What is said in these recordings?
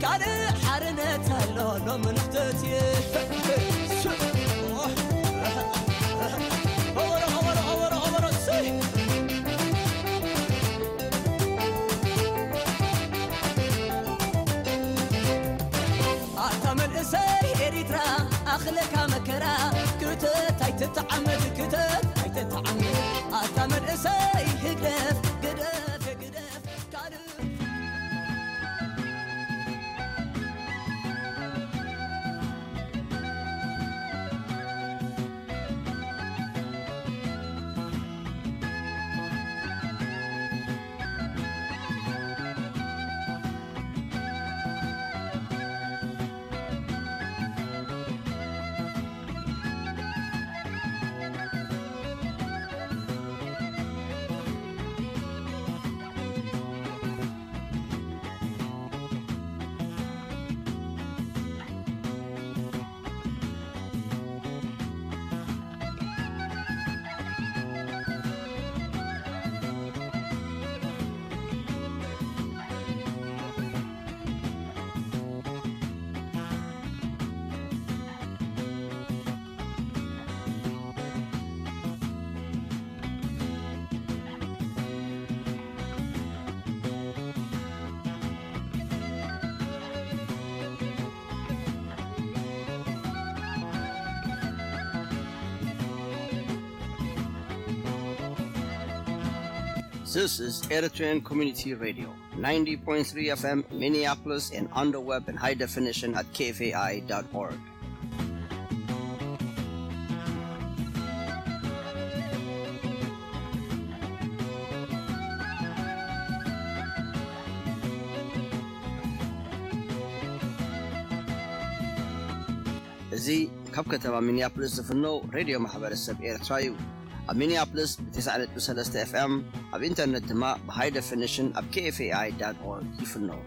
ካልእ ሓርነት ኣሎ ሎሚ ንኽትእትየ። ኸበሮ፣ ኸበሮ፣ ኸበሮ፣ ኸበሮ፣ ኸበሮ፣ እሰይ! ኣታ መንእሰይ ኤሪትራ ኣኽለካ መከራ፣ ክተት ኣይትተዓመድ፣ ክተት ኣይትተዓመድ። ኣታ መንእሰይ ህግደፍ፣ ግደፍ፣ ግደፍ፣ ካልእ This is Eritrean Community Radio, ninety point three F M Minneapolis and on the web in high definition at K F A I dot org. እዚ ካብ ከተማ ሚኒያፖሊስ ዝፍነው ሬድዮ ማሕበረሰብ ኤርትራ እዩ። ኣብ ሚኒያፖሊስ ብ90.3 ኤፍ ኤም፣ ኣብ ኢንተርነት ድማ ብ high definition ኣብ K F A I dot org ይፍነው።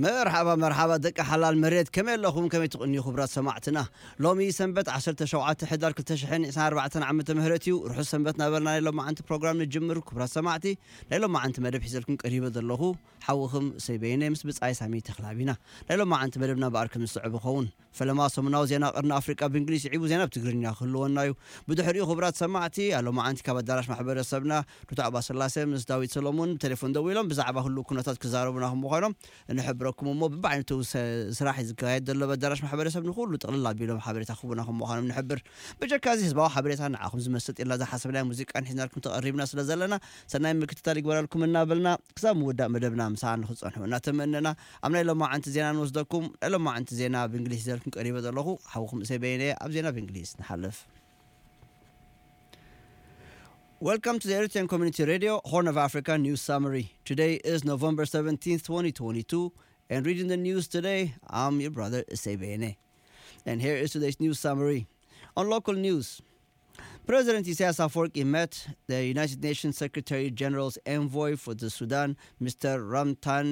መርሓባ፣ መርሓባ ደቂ ሓላል መሬት፣ ከመይ ኣለኹም? ከመይ ትቕንዩ ክቡራት ሰማዕትና? ሎሚ ሰንበት ዓሰርተ ሸውዓተ ሕዳር ክልተ ሽሕን ዕስራን ኣርባዕተን ዓመተ ምህረት እዩ። ርሑስ ሰንበት እናበልና ናይ ሎማዓንቲ ፕሮግራም ንጅምር። ክቡራት ሰማዕቲ፣ ናይ ሎማዓንቲ መደብ ሒዘልኩም ቀሪበ ዘለኹ ሓውኹም እሰይ በየነ ምስ ብጻይ ሳሚ ተኽላቢና። ናይ ሎማዓንቲ መደብና ብኣር ከም ዝስዕብ ይኸውን። ፈለማ ሰሙናዊ ዜና ቀርኒ ኣፍሪቃ ብእንግሊዝ ይዕቡ፣ ዜና ብትግርኛ ክህልወና እዩ። ብድሕሪኡ ክቡራት ሰማዕቲ፣ ኣብ ሎማዓንቲ ካብ ኣዳራሽ ማሕበረሰብና ዶክተር ኣባ ስላሴ ምስ ዳዊት ሰሎሞን ብቴሌፎን ደዊሎም ብዛዕባ ህሉው ኩነታት ክዛረቡና ከም ምዃኖም ንሕብረኩም እሞ፣ ብብዓይነቱ ሰ-፣ ስራሕ እዩ ዝካየድ ዘሎ ኣብ ኣዳራሽ ማሕበረሰብ። ንኹሉ ጥቕልል ኣቢሎም ሓበሬታ ክህቡና ከም ምዃኖም ንሕብር። ብጀካ እዚ ህዝባዊ ሓበሬታ ንዓኹም ዝመሰጥ ኢልና ዝሓሰብናዮ ሙዚቃን ሒዝናልኩም ተቐሪብና ስለ ዘለና፣ ሰናይ ምክትታል ይግበረልኩም እናበልና፣ ክሳብ ምውዳእ መደብና ምሳና ንክትጸንሑ እናተመነና፣ ኣብ ናይ ሎማዓንቲ ዜና ንወስደኩም። ናይ ሎማዓንቲ ዜና ብእንግሊዝ ሒዘልኩም ቀሪበ ዘለኹ ሓውኹም እሰይ በየነ። ኣብ ዜና ብእንግሊዝ ንሓልፍ። Welcome to the Eritrean Community Radio, Horn of Africa News Summary. Today is November seventeenth, twenty twenty-two, and reading the news today, I'm your brother Isebene. And here is today's news summary. On local news, President Isaias Afwerki met the United Nations Secretary General's envoy for the Sudan, Mister Ramtan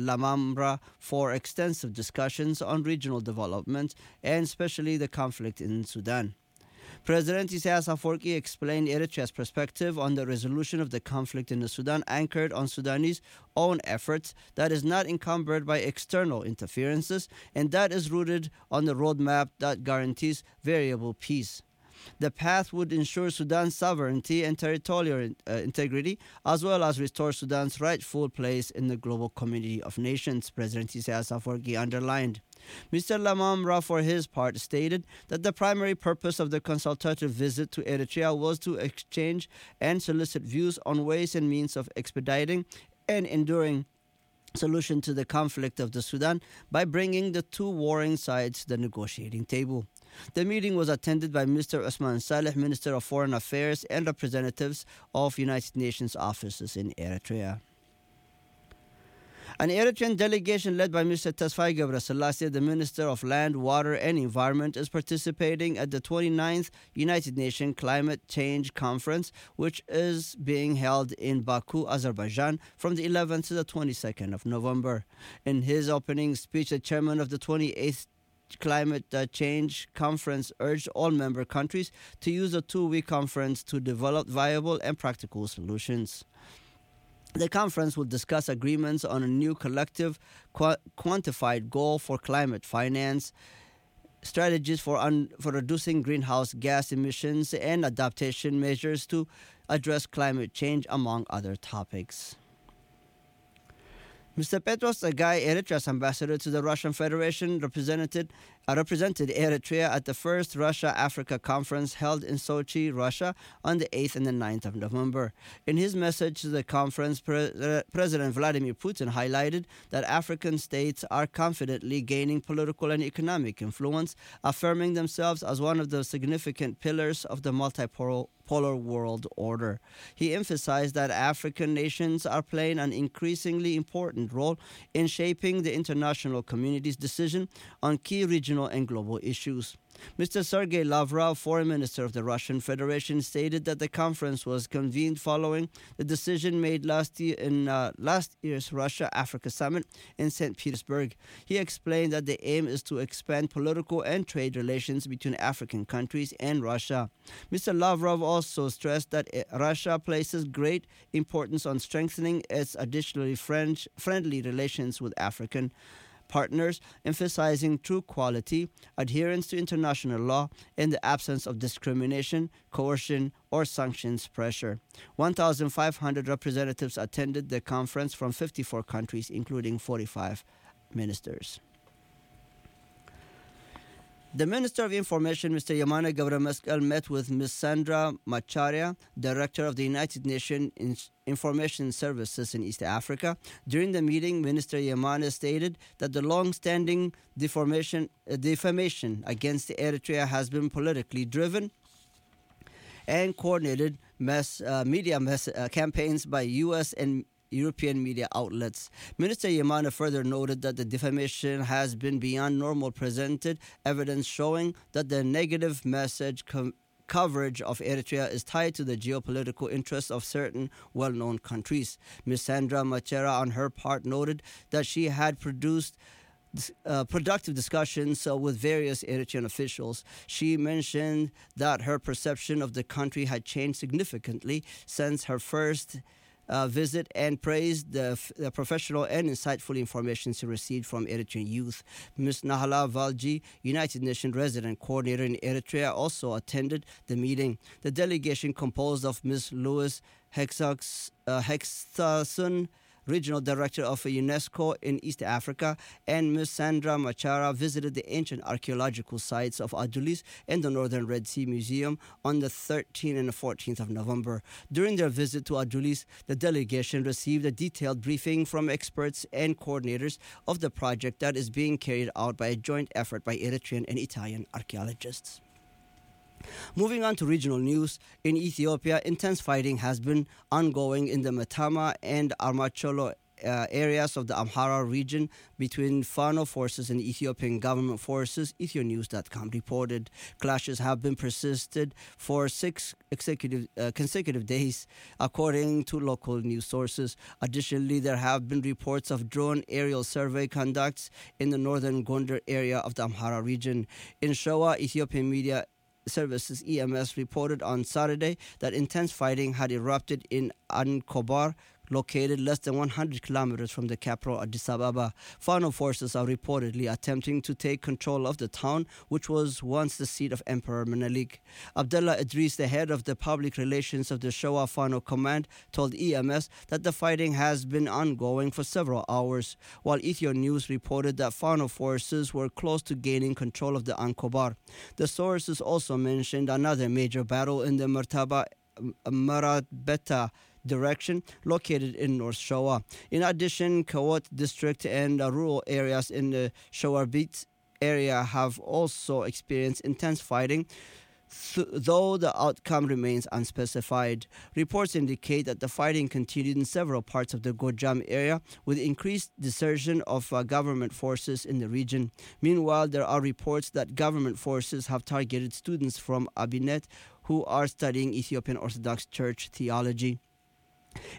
Lamamra, for extensive discussions on regional development and especially the conflict in Sudan. President Isaias Afwerki explained Eritrea's perspective on the resolution of the conflict in the Sudan, anchored on Sudanese own efforts, that is not encumbered by external interferences, and that is rooted on the roadmap that guarantees variable peace. The path would ensure Sudan's sovereignty and territorial, uh, integrity, as well as restore Sudan's rightful place in the global community of nations, President Isaias Afwerki underlined. Mister Lamamra, for his part, stated that the primary purpose of the consultative visit to Eritrea was to exchange and solicit views on ways and means of expediting an enduring solution to the conflict of the Sudan by bringing the two warring sides to the negotiating table. The meeting was attended by Mister Osman Saleh, Minister of Foreign Affairs, and representatives of United Nations offices in Eritrea. An Eritrean delegation led by Mister Tesfaye Ghebreselassie, the Minister of Land, Water and Environment, is participating at the twenty-ninth United Nations Climate Change Conference, which is being held in Baku, Azerbaijan, from the eleventh to the twenty-second of November. In his opening speech, the chairman of the twenty-eighth Climate uh, Change Conference urged all member countries to use the two-week conference to develop viable and practical solutions. The conference will discuss agreements on a new collective qua- quantified goal for climate finance, strategies for, un- for reducing greenhouse gas emissions, and adaptation measures to address climate change, among other topics. Mister Petros Tsegaye, Eritrea's ambassador to the Russian Federation, represented, uh, represented Eritrea at the first Russia-Africa conference held in Sochi, Russia, on the eighth and the ninth of November. In his message to the conference, Pre- uh, President Vladimir Putin highlighted that African states are confidently gaining political and economic influence, affirming themselves as one of the significant pillars of the multipolar world order. He emphasized that African nations are playing an increasingly important role in shaping the international community's decision on key regional and global issues. Mister Sergei Lavrov, foreign minister of the Russian Federation, stated that the conference was convened following the decision made last year in uh, last year's Russia Africa Summit in Saint Petersburg. He explained that the aim is to expand political and trade relations between African countries and Russia. Mister Lavrov also stressed that uh, Russia places great importance on strengthening its additionally French friendly relations with African partners, emphasizing true quality, adherence to international law, and the absence of discrimination, coercion, or sanctions pressure. One thousand five hundred representatives attended the conference from fifty-four countries, including forty-five ministers. The Minister of Information, Mister Yamane Gabrameskel, met with Miz Sandra Macharia, Director of the United Nations Information Services in East Africa. During the meeting, Minister Yamane stated that the long-standing deformation, uh, defamation against Eritrea has been politically driven and coordinated mass uh, media mass, uh, campaigns by U S and European media outlets. Minister Yamane further noted that the defamation has been beyond normal, presented evidence showing that the negative message com- coverage of Eritrea is tied to the geopolitical interests of certain well-known countries. Miz Sandra Machera, on her part, noted that she had produced uh, productive discussions uh, with various Eritrean officials. She mentioned that her perception of the country had changed significantly since her first uh, visit and praised the, the professional and insightful information she received from Eritrean youth. Miz Nahala Valji, United Nations resident coordinator in Eritrea, also attended the meeting. The delegation, composed of Miz Louise Hexax, uh, Hexason, regional director of UNESCO in East Africa, and Miz Sandra Machara visited the ancient archaeological sites of Adulis and the Northern Red Sea Museum on the thirteenth and fourteenth of November. During their visit to Adulis, the delegation received a detailed briefing from experts and coordinators of the project that is being carried out by a joint effort by Eritrean and Italian archaeologists. Moving on to regional news, in Ethiopia, intense fighting has been ongoing in the Matama and Armacholo uh, areas of the Amhara region between Fano forces and Ethiopian government forces, ethionews dot com reported. Clashes have been persisted for six executive, uh, consecutive days, according to local news sources. Additionally, there have been reports of drone aerial survey conducts in the northern Gondar area of the Amhara region. In Showa, Ethiopian media services, E M S, reported on Saturday that intense fighting had erupted in Ankobar located less than one hundred kilometers from the capital, Addis Ababa. Fano forces are reportedly attempting to take control of the town, which was once the seat of Emperor Menelik. Abdullah Idris, the head of the public relations of the Showa Fano Command, told E M S that the fighting has been ongoing for several hours, while Ethio News reported that Fano forces were close to gaining control of the Ankobar. The sources also mentioned another major battle in the Mertaba Marabeta direction, located in North Showa. In addition, Kawot district and uh, rural areas in the Shawarbit area have also experienced intense fighting, th- though the outcome remains unspecified. Reports indicate that the fighting continued in several parts of the Gojam area, with increased desertion of uh, government forces in the region. Meanwhile, there are reports that government forces have targeted students from Abinet who are studying Ethiopian Orthodox Church theology.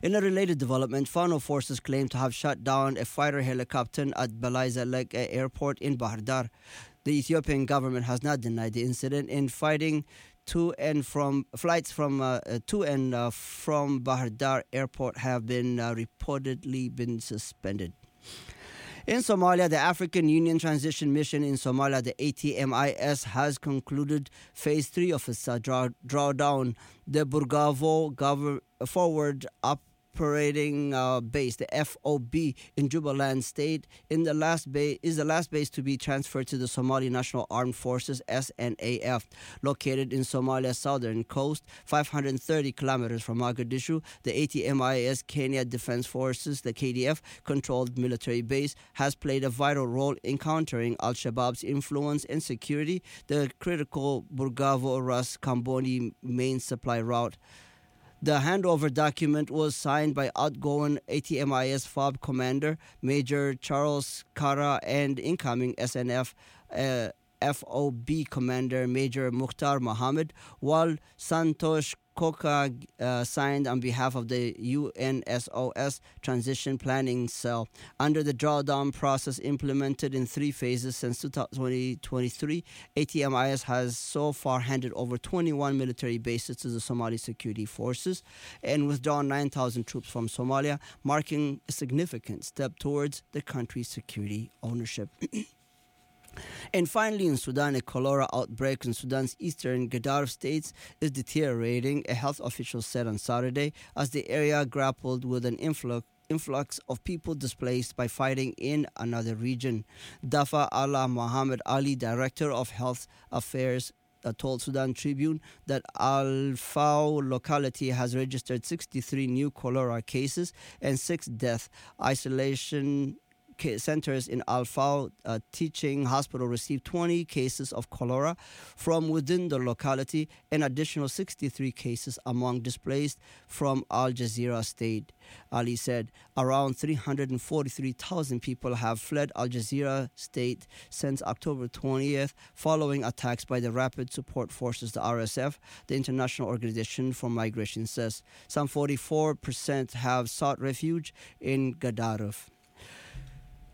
In a related development, Fano forces claim to have shot down a fighter helicopter at Balai Zalek Airport in Bahar Dar. The Ethiopian government has not denied the incident, and fighting to and from flights from uh, uh, to and uh, from Bahar Dar Airport have been uh, reportedly been suspended. In Somalia, the African Union Transition Mission in Somalia, the A T M I S, has concluded phase three of its uh, draw- drawdown. The Burgavo Gover- Forward Operating uh, Base, the F O B, in Jubaland State, in the last ba- is the last base to be transferred to the Somali National Armed Forces (S N A F), located in Somalia's southern coast, five hundred thirty kilometers from Mogadishu. The A T M I S Kenya Defense Forces, the K D F, controlled military base has played a vital role in countering Al Shabaab's influence and security the critical Burgavo Ras Kamboni main supply route. The handover document was signed by outgoing A T M I S fob commander Major Charles Kara and incoming S N F uh, F O B commander Major Mukhtar Mohammed, while Santosh Koka uh, signed on behalf of the U N S O S Transition Planning Cell. Under the drawdown process implemented in three phases since twenty twenty-three, A T M I S has so far handed over twenty-one military bases to the Somali Security Forces and withdrawn nine thousand troops from Somalia, marking a significant step towards the country's security ownership. And finally, in Sudan, a cholera outbreak in Sudan's eastern Gadaref states is deteriorating, a health official said on Saturday, as the area grappled with an influx influx of people displaced by fighting in another region. Dafa Allah Mohammed Ali, director of health affairs, uh, told Sudan Tribune that Al Fao locality has registered sixty-three new cholera cases and six deaths. Isolation centers in Al Fao uh, Teaching Hospital received twenty cases of cholera from within the locality and additional sixty-three cases among displaced from Al Jazeera state. Ali said around three hundred forty-three thousand people have fled Al Jazeera state since October twentieth, following attacks by the Rapid Support Forces, the R S F, the International Organization for Migration says. Some forty-four percent have sought refuge in Gadaref.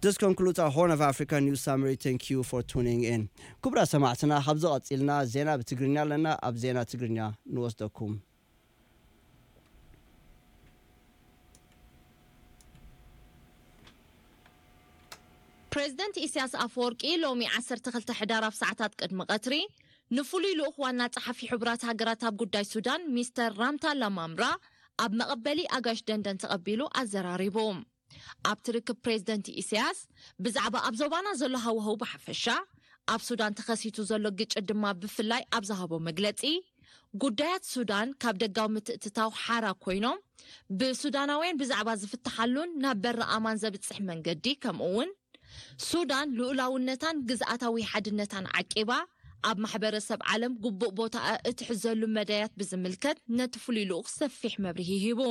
This concludes our Horn of Africa news summary. Thank you for tuning in. ክቡራት ሰማዕትና፣ ካብዚ ቀጺልና ዜና ብትግርኛ ኣለና። ኣብ ዜና ትግርኛ ንወስደኩም። ፕሬዝደንት ኢሳያስ ኣፈወርቂ ሎሚ ዓሰርተ ክልተ ሕዳር ኣብ ሰዓታት ቅድሚ ቀትሪ ንፍሉይ ልኡኽ ዋና ጸሓፊ ሕቡራት ሃገራት ኣብ ጉዳይ ሱዳን ሚስተር ራምታ ላማምራ ኣብ መቐበሊ ኣጋሽ ደንደን ተቐቢሉ ኣዘራሪቡ። ኣብቲ ርክብ ፕሬዝደንት ኢሳያስ ብዛዕባ ኣብ ዞባና ዘሎ ሃዋህው ብሓፈሻ፣ ኣብ ሱዳን ተኸሲቱ ዘሎ ግጭት ድማ ብፍላይ ኣብ ዝሃቦ መግለጺ፣ ጉዳያት ሱዳን ካብ ደጋዊ ምትእትታው ሓራ ኮይኖም ብሱዳናውያን ብዛዕባ ዝፍትሓሉን ናብ በሪ ኣማን ዘብጽሕ መንገዲ ከምኡ እውን ሱዳን ልኡላውነታን ግዝኣታዊ ሓድነታን ዓቂባ ኣብ ማሕበረሰብ ዓለም ግቡእ ቦታኣ እትሕዘሉ መዳያት ብዝምልከት ነቲ ፍሉይ ልኡኽ ሰፊሕ መብርሂ ሂቡ።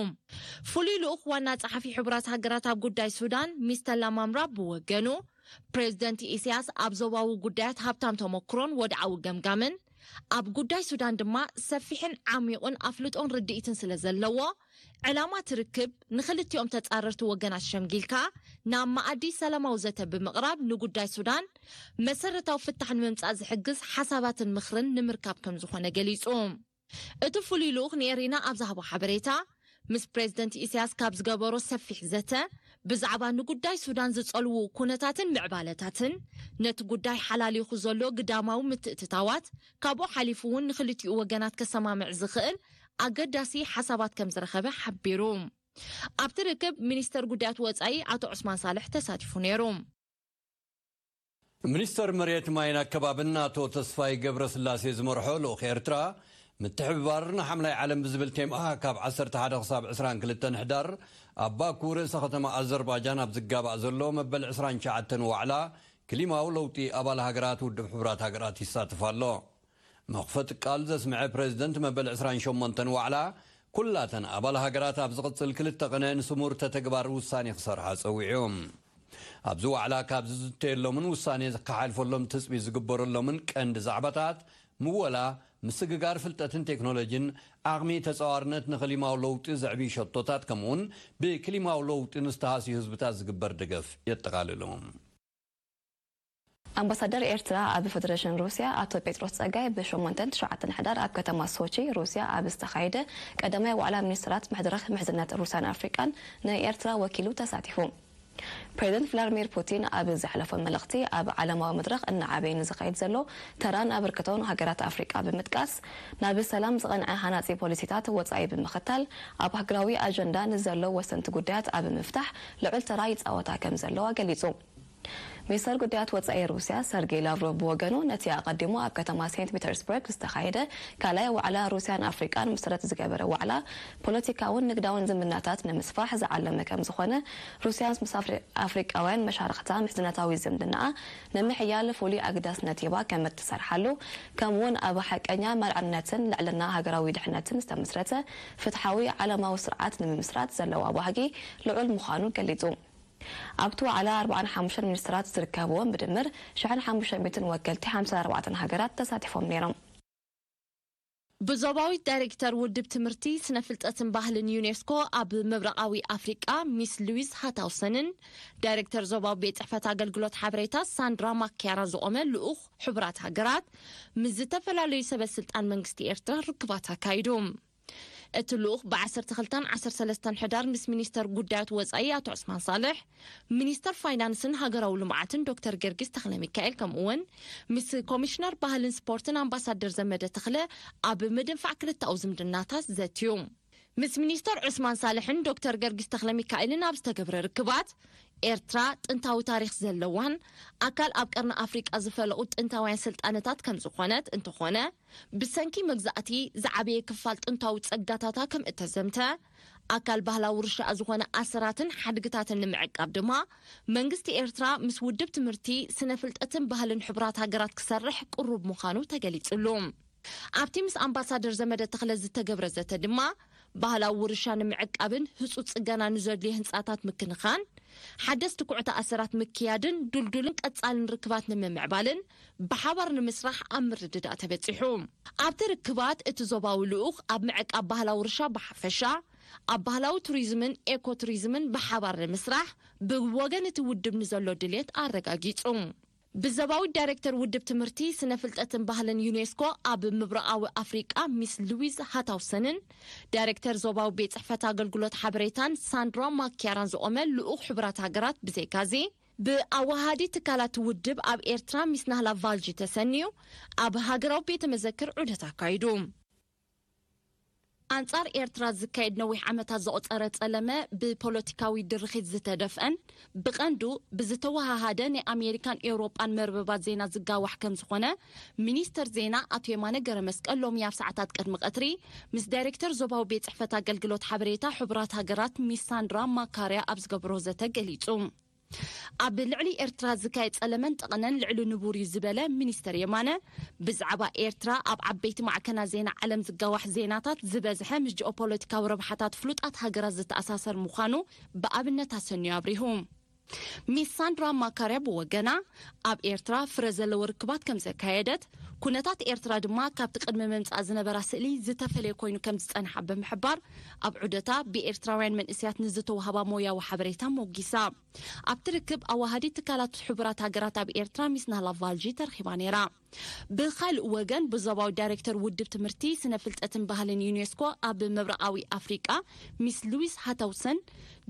ፍሉይ ልኡኽ ዋና ጸሓፊ ሕቡራት ሃገራት ኣብ ጉዳይ ሱዳን ሚስተር ላማምራ ብወገኑ ፕሬዝደንት ኢሳያስ ኣብ ዞባዊ ጉዳያት ሃብታም ተመክሮን ወድዓዊ ገምጋምን ኣብ ጉዳይ ሱዳን ድማ ሰፊሕን ዓሚቑን ኣፍልጦን ርድኢትን ስለ ዘለዎ ዕላማ እቲ ርክብ ንኽልቲኦም ተጻረርቲ ወገናት ሸምጊልካ ናብ መኣዲ ሰላማዊ ዘተ ብምቕራብ ንጉዳይ ሱዳን መሰረታዊ ፍታሕ ንምምጻእ ዝሕግዝ ሓሳባትን ምኽርን ንምርካብ ከም ዝኾነ ገሊጹ። እቲ ፍሉይ ልኡኽ ንኤሪና ኣብ ዝሃቦ ሓበሬታ ምስ ፕሬዝደንት ኢሳያስ ካብ ዝገበሮ ሰፊሕ ዘተ፣ ብዛዕባ ንጉዳይ ሱዳን ዝጸልዉ ኩነታትን ምዕባለታትን፣ ነቲ ጉዳይ ሓላሊኹ ዘሎ ግዳማዊ ምትእትታዋት፣ ካብኡ ሓሊፉ እውን ንክልቲኡ ወገናት ከሰማምዕ ዝኽእል ኣገዳሲ ሓሳባት ከም ዝረኸበ ሓቢሩ። ኣብቲ ርክብ ሚኒስተር ጉዳያት ወጻኢ ኣቶ ዑስማን ሳልሕ ተሳቲፉ ነይሩ። ሚኒስተር መሬት ማይን ኣከባብን ኣቶ ተስፋይ ገብረስላሴ ዝመርሖ ልኡኽ ኤርትራ፣ ምትሕብባር ንሓምላይ ዓለም ብዝብል ቴማ ካብ ዓሰርተ ሓደ ክሳብ ዕስራን ክልተን ሕዳር ኣብ ባኩ ርእሰ ከተማ ኣዘርባጃን ኣብ ዝጋባእ ዘሎ መበል ዕስራን ትሽዓተን ዋዕላ ክሊማዊ ለውጢ ኣባል ሃገራት ውድብ ሕቡራት ሃገራት ይሳተፍ ኣሎ። መኽፈቲ ቃል ዘስምዐ ፕሬዝደንት መበል ዕስራን ሸሞንተን ዋዕላ፣ ኩላተን ኣባል ሃገራት ኣብ ዝቕጽል ክልተ ቕነ ንስሙር ተተግባር ውሳኔ ክሰርሓ ጸዊዑ። ኣብዚ ዋዕላ ካብ ዝዝተየሎምን ውሳኔ ዝከሓልፈሎም ትጽቢት ዝግበረሎምን ቀንዲ ዛዕባታት፣ ምወላ፣ ምስግጋር ፍልጠትን ቴክኖሎጂን፣ ዓቕሚ ተጻዋርነት ንኽሊማዊ ለውጢ ዘዕብዩ ሸቶታት፣ ከምኡውን ብክሊማዊ ለውጢ ንዝተሃስዩ ህዝብታት ዝግበር ደገፍ የጠቓልሉ። ኣምባሳደር ኤርትራ ኣብ ፌደሬሽን ሩስያ ኣቶ ጴጥሮስ ጸጋይ ብ ሸሞንተን ትሽዓተን ሕዳር ኣብ ከተማ ሶቺ ሩስያ ኣብ ዝተኻየደ ቀዳማይ ዋዕላ ሚኒስትራት መድረኽ ምሕዝነት ሩስያን ኣፍሪቃን ንኤርትራ ወኪሉ ተሳቲፉ። ፕሬዚደንት ቭላድሚር ፑቲን ኣብ ዘሕለፎ መልእኽቲ፣ ኣብ ዓለማዊ መድረኽ እናዓበየ ንዝኸይድ ዘሎ ተራን ኣበርክቶን ሃገራት ኣፍሪቃ ብምጥቃስ፣ ናብ ሰላም ዝቐንዐ ሃናጺ ፖሊሲታት ወጻኢ ብምኽታል፣ ኣብ ሃገራዊ ኣጀንዳ ንዘሎ ወሰንቲ ጉዳያት ኣብ ምፍታሕ ልዑል ተራ ይጻወታ ከም ዘለዋ ገሊጹ። ሚኒስተር ጉዳያት ወጻኢ ሩስያ ሰርጌይ ላቭሮቭ ብወገኑ፣ ነቲ ኣቐዲሙ ኣብ ከተማ ሴንት ፒተርስበርግ ዝተኻየደ ካልኣይ ዋዕላ ሩስያን ኣፍሪቃን መሰረት ዝገበረ ዋዕላ፣ ፖለቲካውን ንግዳውን ዝምድናታት ንምስፋሕ ዝዓለመ ከም ዝኾነ፣ ሩስያ ምስ ኣፍሪቃውያን መሻርኽታ ምሕዝነታዊ ዝምድናኣ ንምሕያል ፍሉይ ኣገዳስነት ሂባ ከም እትሰርሓሉ፣ ከምኡውን ኣብ ሓቀኛ ማልዕነትን ልዕልና ሃገራዊ ድሕነትን ዝተመስረተ ፍትሓዊ ዓለማዊ ስርዓት ንምምስራት ዘለዋ ባህጊ ልዑል ምዃኑ ገሊጹ። ኣብቲ ዋዕላ ኣርባዓን ሓሙሽተን ሚኒስትራት ዝርከብዎም ብድምር ሽሕን ሓሙሽተ ሚእትን ወከልቲ ሓምሳን ኣርባዕተን ሃገራት ተሳቲፎም ነይሮም። ብዞባዊት ዳይሬክተር ውድብ ትምህርቲ፣ ስነ ፍልጠትን ባህልን ዩኔስኮ ኣብ ምብራቓዊ ኣፍሪቃ ሚስ ሉዊዝ ሃታውሰንን ዳይሬክተር ዞባዊ ቤት ጽሕፈት ኣገልግሎት ሓበሬታ ሳንድራ ማክያራ ዝቖመ ልኡኽ ሕቡራት ሃገራት ምስ ዝተፈላለዩ ሰበ ስልጣን መንግስቲ ኤርትራ ርክባት ኣካይዱ። እቲ ልኡኽ ብ ዓሰርተ ክልተን ዓሰርተ ሰለስተን ሕዳር ምስ ሚኒስተር ጉዳያት ወጻኢ ኣቶ ዑስማን ሳልሕ፣ ሚኒስተር ፋይናንስን ሃገራዊ ልምዓትን ዶክተር ገርጊስ ተኽለሚካኤል፣ ከምኡውን ምስ ኮሚሽነር ባህልን ስፖርትን ኣምባሳደር ዘመደ ተኽለ ኣብ ምድንፋዕ ክልተኣዊ ዝምድናታት ዘትዩ። ምስ ሚኒስተር ዑስማን ሳልሕን ዶክተር ገርጊስ ተኽለሚካኤልን ኣብ ዝተገብረ ርክባት፣ ኤርትራ ጥንታዊ ታሪኽ ዘለዋን ኣካል ኣብ ቀርኒ ኣፍሪቃ ዝፈለቑ ጥንታውያን ስልጣነታት ከም ዝኾነት እንተኾነ፣ ብሰንኪ መግዛእቲ ዝዓበየ ክፋል ጥንታዊ ጸጋታታ ከም እተዘምተ፣ ኣካል ባህላዊ ውርሻኣ ዝኾነ ኣሰራትን ሓድግታትን ንምዕቃብ ድማ መንግስቲ ኤርትራ ምስ ውድብ ትምህርቲ፣ ስነ ፍልጠትን ባህልን ሕቡራት ሃገራት ክሰርሕ ቅሩብ ምዃኑ ተገሊጹሉ። ኣብቲ ምስ ኣምባሳደር ዘመደ ተኽለ ዝተገብረ ዘተ ድማ፣ ባህላዊ ውርሻ ንምዕቃብን ህጹጽ ጽገና ንዘድልዮ ህንጻታት ምክንኻን፣ ሓደስቲ ኩዕታ ኣሰራት ምክያድን ድልዱልን ቀጻልን ርክባት ንምምዕባልን ብሓባር ንምስራሕ ኣብ ምርድዳእ ተበጺሑ። ኣብቲ ርክባት እቲ ዞባዊ ልኡኽ ኣብ ምዕቃብ ባህላዊ ውርሻ ብሓፈሻ፣ ኣብ ባህላዊ ቱሪዝምን ኤኮ ቱሪዝምን ብሓባር ንምስራሕ ብወገን እቲ ውድብ ንዘሎ ድልየት ኣረጋጊጹ። ብዞባዊት ዳይሬክተር ውድብ ትምህርቲ፣ ስነ ፍልጠትን ባህልን ዩኔስኮ ኣብ ምብራቓዊ ኣፍሪቃ ሚስ ሉዊዝ ሃታውሰንን ዳይሬክተር ዞባዊ ቤት ጽሕፈት ኣገልግሎት ሓበሬታን ሳንድራ ማክያራን ዝቖመ ልኡኽ ሕቡራት ሃገራት ብዘይካዚ፣ ብኣወሃሃዲ ትካላት ውድብ ኣብ ኤርትራ ሚስ ናህላ ቫልጂ ተሰንዩ ኣብ ሃገራዊ ቤተ መዘክር ዑደት ኣካይዱ። ኣንጻር ኤርትራ ዝካየድ ነዊሕ ዓመታት ዘቑጸረ ጸለመ ብፖለቲካዊ ድርኺት ዝተደፍአን ብቐንዱ ብዝተወሃሃደ ናይ ኣሜሪካን ኤውሮጳን መርበባት ዜና ዝጋዋሕ ከም ዝኾነ ሚኒስተር ዜና ኣቶ የማነ ገረመስቀል ሎሚ ኣብ ሰዓታት ቅድሚ ቀትሪ ምስ ዳይሬክተር ዞባዊ ቤት ጽሕፈት ኣገልግሎት ሓበሬታ ሕቡራት ሃገራት ሚስ ሳንድራ ማካርያ ኣብ ዝገብሮ ዘተ ገሊጹ። ኣብ ልዕሊ ኤርትራ ዝካየድ ጸለመን ጠቕነን ልዕሊ ንቡር እዩ ዝበለ ሚኒስተር የማነ፣ ብዛዕባ ኤርትራ ኣብ ዓበይቲ ማዕከናት ዜና ዓለም ዝጋዋሕ ዜናታት ዝበዝሐ ምስ ጂኦፖለቲካዊ ረብሓታት ፍሉጣት ሃገራት ዝተኣሳሰር ምዃኑ ብኣብነት ኣሰንዩ ኣብሪሁ። ሚስ ሳንድራ ማካርያ ብወገና፣ ኣብ ኤርትራ ፍረ ዘለዎ ርክባት ከም ዘካየደት፣ ኩነታት ኤርትራ ድማ ካብቲ ቅድሚ ምምጻእ ዝነበራ ስእሊ ዝተፈለየ ኮይኑ ከም ዝጸንሓ ብምሕባር፣ ኣብ ዑደታ ብኤርትራውያን መንእሰያት ንዝተዋህባ ሞያዊ ሓበሬታ ሞጊሳ። ኣብቲ ርክብ ኣዋሃዲት ትካላት ሕቡራት ሃገራት ኣብ ኤርትራ ሚስ ናህላ ቫልጂ ተረኺባ ነይራ። ብኻልእ ወገን፣ ብዞባዊ ዳይሬክተር ውድብ ትምህርቲ፣ ስነ ፍልጠትን ባህልን ዩኔስኮ ኣብ ምብራቓዊ ኣፍሪቃ፣ ሚስ ሉዊስ ሃታውሰን፣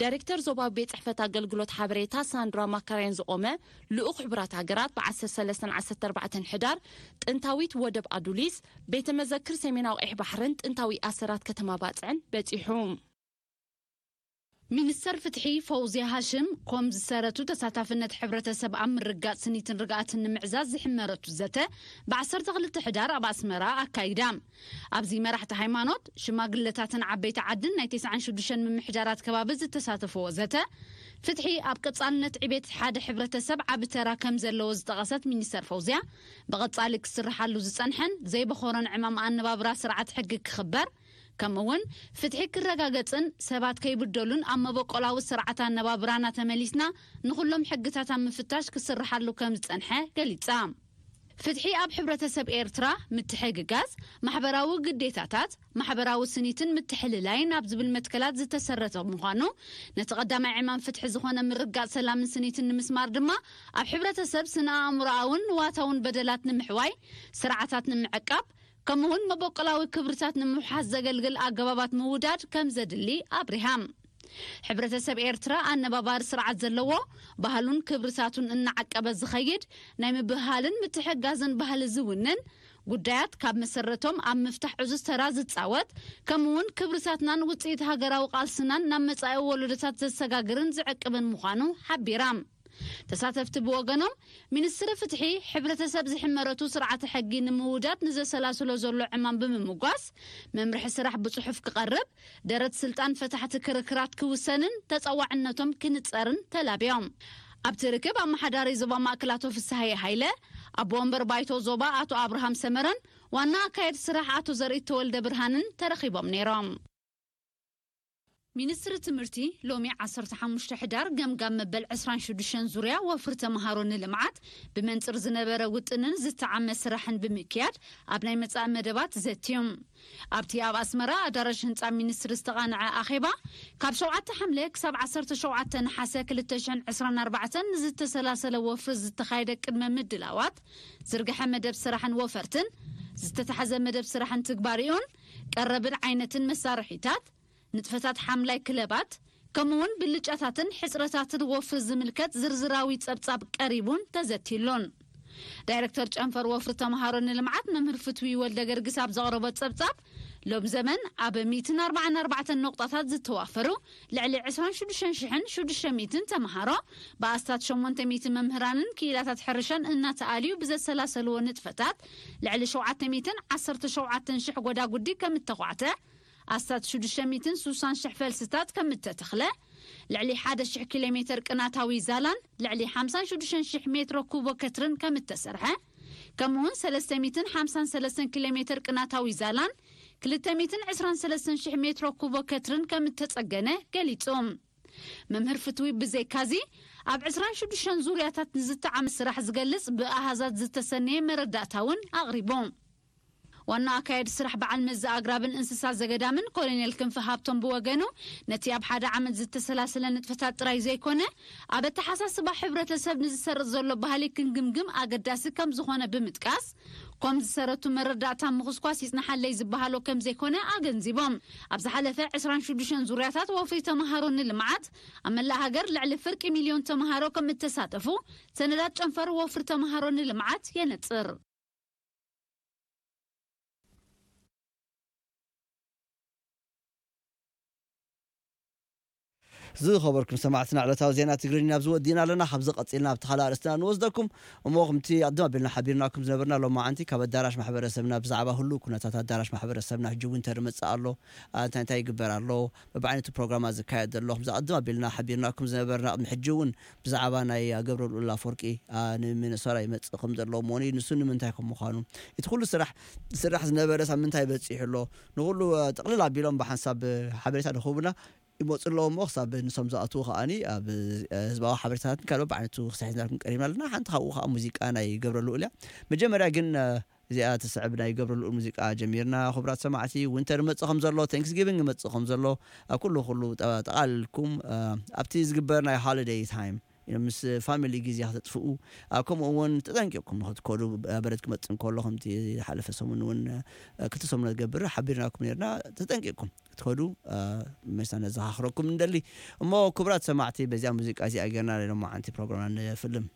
ዳይሬክተር ዞባዊ ቤት ጽሕፈት ኣገልግሎት ሓበሬታ፣ ሳንድራ ማካርያን ዝቖመ ልኡኽ ሕቡራት ሃገራት፣ ብ ዓሰርተ ሰለስተ ዓሰርተ ኣርባዕተ ሕዳር፣ ጥንታዊት ወደብ ኣዱሊስ፣ ቤተ መዘክር ሰሜናዊ ቀይሕ ባሕርን ጥንታዊ ኣሰራት ከተማ ባጽዕን በጺሑ። ሚኒስተር ፍትሒ ፈውዝያ ሃሽም፣ ኮም ዝሰረቱ ተሳታፍነት ሕብረተሰብ ኣብ ምርጋጽ ስኒትን ርግኣትን ንምዕዛዝ ዝሕመረቱ ዘተ፣ ብ ዓሰርተ ክልተ ሕዳር ኣብ ኣስመራ ኣካይዳ። ኣብዚ መራሕቲ ሃይማኖት፣ ሽማግለታትን ዓበይቲ ዓድን ናይ ተስዓን ሽዱሽተን ምምሕዳራት ከባቢ ዝተሳተፈዎ ዘተ፣ ፍትሒ ኣብ ቀጻልነት ዕቤት ሓደ ሕብረተሰብ ዓቢ ተራ ከም ዘለዎ ዝጠቐሰት ሚኒስተር ፈውዝያ፣ ብቐጻሊ ክስርሓሉ ዝጸንሐን ዘይበኾሮን ዕማም ኣነባብራ ስርዓት ሕጊ ክኽበር፣ ከምኡ እውን ፍትሒ ክረጋገጽን ሰባት ከይብደሉን ኣብ መበቆላዊ ስርዓት ኣነባብራና ተመሊስና ንኹሎም ሕግታት ኣብ ምፍታሽ ክስርሓሉ ከም ዝጸንሐ ገሊጻ። ፍትሒ ኣብ ሕብረተሰብ ኤርትራ ምትሕግጋዝ፣ ማሕበራዊ ግዴታታት፣ ማሕበራዊ ስኒትን ምትሕልላይን ኣብ ዝብል መትከላት ዝተሰረተ ምዃኑ፣ ነቲ ቀዳማይ ዕማም ፍትሒ ዝኾነ ምርጋጽ ሰላምን ስኒትን ንምስማር ድማ፣ ኣብ ሕብረተሰብ ስነ ኣእምሮኣውን ንዋታውን በደላት ንምሕዋይ፣ ስርዓታት ንምዕቃብ፣ ከምኡውን መበቆላዊ ክብርታት ንምውሓስ ዘገልግል ኣገባባት ምውዳድ ከም ዘድሊ ኣብሪሃ። ሕብረተሰብ ኤርትራ ኣነባባሪ ስርዓት ዘለዎ፣ ባህሉን ክብርታቱን እናዓቀበ ዝኸይድ፣ ናይ ምብህሃልን ምትሕጋዝን ባህሊ ዝውንን፣ ጉዳያት ካብ መሰረቶም ኣብ ምፍታሕ ዕዙዝ ተራ ዝጻወት፣ ከምኡውን ክብርታትናን ውጽኢት ሃገራዊ ቃልስናን ናብ መጻኢ ወለዶታት ዘሰጋግርን ዝዕቅብን ምዃኑ ሓቢራ። ተሳተፍቲ ብወገኖም፣ ሚኒስትሪ ፍትሒ፣ ሕብረተሰብ ዝሕመረቱ ስርዓተ ሕጊ ንምውዳድ ንዘሰላስሎ ዘሎ ዕማም ብምምጓስ፣ መምርሒ ስራሕ ብጽሑፍ ክቐርብ፣ ደረት ስልጣን ፈታሕቲ ክርክራት ክውሰንን ተጸዋዕነቶም ክንጸርን ተላብዮም። ኣብቲ ርክብ፣ ኣመሓዳሪ ዞባ ማእከል ኣቶ ፍስሃየ ሃይለ፣ ኣቦ ወንበር ባይቶ ዞባ ኣቶ ኣብርሃም ሰመረን ዋና ኣካየድ ስራሕ ኣቶ ዘርኢት ተወልደ ብርሃንን ተረኺቦም ነይሮም። ሚኒስትሪ ትምህርቲ፣ ሎሚ ዓሰርተ ሓሙሽተ ሕዳር፣ ገምጋም መበል ዕስራን ሽዱሽተን ዙርያ ወፍሪ ተምሃሮ ንልምዓት፣ ብመንጽር ዝነበረ ውጥንን ዝተዓመ ስራሕን ብምክያድ፣ ኣብ ናይ መጻኢ መደባት ዘትዩ። ኣብቲ ኣብ ኣስመራ ኣዳራሽ ህንጻ ሚኒስትሪ ዝተቓንዐ ኣኼባ፣ ካብ ሸውዓተ ሓምለ ክሳብ ዓሰርተ ሸውዓተ ነሓሰ ክልተ ሽሕን ዕስራን ኣርባዕተን ንዝተሰላሰለ ወፍሪ ዝተኻየደ ቅድመ ምድላዋት፣ ዝርግሐ መደብ ስራሕን ወፈርትን፣ ዝተታሕዘ መደብ ስራሕን ትግባሬኡን፣ ቀረብን ዓይነትን መሳርሒታት፣ ንጥፈታት ሓምላይ ክለባት፣ ከምኡውን ብልጫታትን ሕጽረታትን ወፍሪ ዝምልከት ዝርዝራዊ ጸብጻብ ቀሪቡን ተዘትይሉን። ዳይረክተር ጨንፈር ወፍሪ ተምሃሮ ንልምዓት መምህር ፍትዊ ወልደ ገርግስ ኣብ ዘቕረቦ ጸብጻብ፣ ሎም ዘመን ኣብ ሚእትን ኣርባዓን ኣርባዕተን ነቑጣታት ዝተዋፈሩ ልዕሊ ዕስራን ሽዱሽተን ሽሕን ሽዱሽተ ሚእትን ተምሃሮ፣ ብኣስታት ሸሞንተ ሚእቲ መምህራንን ክኢላታት ሕርሻን እናተኣልዩ ብዘሰላሰልዎ ንጥፈታት፣ ልዕሊ ሸውዓተ ሚእትን ዓሰርተ ሸውዓተን ሽሕ ጎዳጉዲ ከም እተዃዕተ፣ ኣስታት ሽዱሽተ ሚእትን ስሳን ሽሕ ፈልስታት ከም እተተኽለ፣ ልዕሊ ሓደ ሽሕ ኪሎ ሜተር ቅናታዊ ዛላን ልዕሊ ሓምሳን ሽዱሽተን ሽሕ ሜትሮ ኩቦ ከትርን ከም እተሰርሐ፣ ከምኡውን ሰለስተ ሚእትን ሓምሳን ሰለስተን ኪሎ ሜተር ቅናታዊ ዛላን ክልተ ሚእትን ዕስራን ሰለስተን ሽሕ ሜትሮ ኩቦ ከትርን ከም እተጸገነ ገሊጹ። መምህር ፍትዊ ብዘይካዚ፣ ኣብ ዕስራን ሽዱሽተን ዙርያታት ንዝተዓመ ስራሕ ዝገልጽ ብኣሃዛት ዝተሰነየ መረዳእታ እውን ኣቕሪቡ። ዋና ኣካየዲ ስራሕ በዓል መዚ ኣግራብን እንስሳ ዘገዳምን ኮሎኔል ክንፈ ሃብቶም ብወገኑ፣ ነቲ ኣብ ሓደ ዓመት ዝተሰላሰለ ንጥፈታት ጥራይ ዘይኮነ፣ ኣብ ኣተሓሳስባ ሕብረተሰብ ንዝሰርጽ ዘሎ ባህሊ ክንግምግም ኣገዳሲ ከም ዝኾነ ብምጥቃስ፣ ኮም ዝሰረቱ መረዳእታ ምኹስኳስ ይጽናሓለይ ዝበሃሎ ከም ዘይኮነ ኣገንዚቦም። ኣብ ዝሓለፈ ዕስራን ሽዱሽተን ዙርያታት ወፍሪ ተምሃሮ ንልምዓት፣ ኣብ መላእ ሃገር ልዕሊ ፍርቂ ሚልዮን ተምሃሮ ከም እተሳተፉ፣ ሰነዳት ጨንፈር ወፍሪ ተምሃሮ ንልምዓት የነጽር። ዝኸበርኩም ሰማዕትና፣ ዕለታዊ ዜና ትግርኛ ኣብዚ ወዲእና ኣለና። ካብዚ ቀጺልና ኣብቲ ካልእ ኣርእስትና ንወስደኩም። እሞ፣ ከምቲ ኣድም ኣቢልና ሓቢርናኩም ዝነበርና፣ ሎማዓንቲ ካብ ኣዳራሽ ማሕበረሰብና ብዛዕባ ህሉው ኩነታት ኣዳራሽ ማሕበረሰብና፣ ሕጂ ዊንተር ይመጽእ ኣሎ፣ ኣ፣ እንታይ እንታይ ይግበር ኣሎ፣ በብዓይነቱ ፕሮግራማት ዝካየድ ዘሎ፣ ከምዚ ኣድም ኣቢልና ሓቢርናኩም ዝነበርና፣ ቅድሚ ሕጂ እውን ብዛዕባ ናይ ገብረ ልኡል ኣፈወርቂ፣ ኣ፣ ንሚነሶታ ይመጽእ ከም ዘሎ፣ እሞ ንሱ ንምንታይ ከም ምዃኑ፣ እቲ ኩሉ ስራሕ ዝስራሕ ዝነበረ ሳብ ምንታይ በጺሑ ኣሎ፣ ንኹሉ፣ ኣ፣ ጥቕልል ኣቢሎም ብሓንሳብ ሓበሬታ ንኽህቡና ይመጹ ኣለዉ። እሞ ክሳብ ንሶም ዝኣትዉ ከኣኒ፣ ኣብ፣ እ፣ ህዝባዊ ሓበሬታታትን ካልኦት ብዓይነቱ ክሳብ ሒዝናልኩም ቀሪብና ኣለና። ሓንቲ ካብኡ ከኣ ሙዚቃ ናይ ገብረ ልኡል እያ። መጀመርያ ግን፣ እ፣ እዚኣ ትስዕብ ናይ ገብረ ልኡል ሙዚቃ ጀሚርና። ክቡራት ሰማዕቲ፣ ዊንተር ይመጽእ ከም ዘሎ፣ ታንክስጊቪንግ ይመጽእ ከም ዘሎ፣ ኣብ ኩሉ፣ ኩሉ ጠ-፣ ጠቓሊልኩም፣ እ፣ ኣብቲ ዝግበር ናይ ሆሊደይ ታይም ምስ ፋሚሊ ግዜ ክተጥፍኡ፣ ከምኡ እውን ተጠንቂቕኩም ንክትከዱ፣ በረድ ክመፅእ እንከሎ ከምቲ ዝሓለፈ ሰሙን እውን ክልተ ሰሙን ዝገብር ሓቢርናኩም ነርና። ተጠንቂቕኩም ክትከዱ መሳና ዘኻኽረኩም እንደሊ። እሞ ክቡራት ሰማዕቲ፣ በዚኣ ሙዚቃ እዚኣ ጌርና ሎማዓንቲ ፕሮግራምና ንፍልም።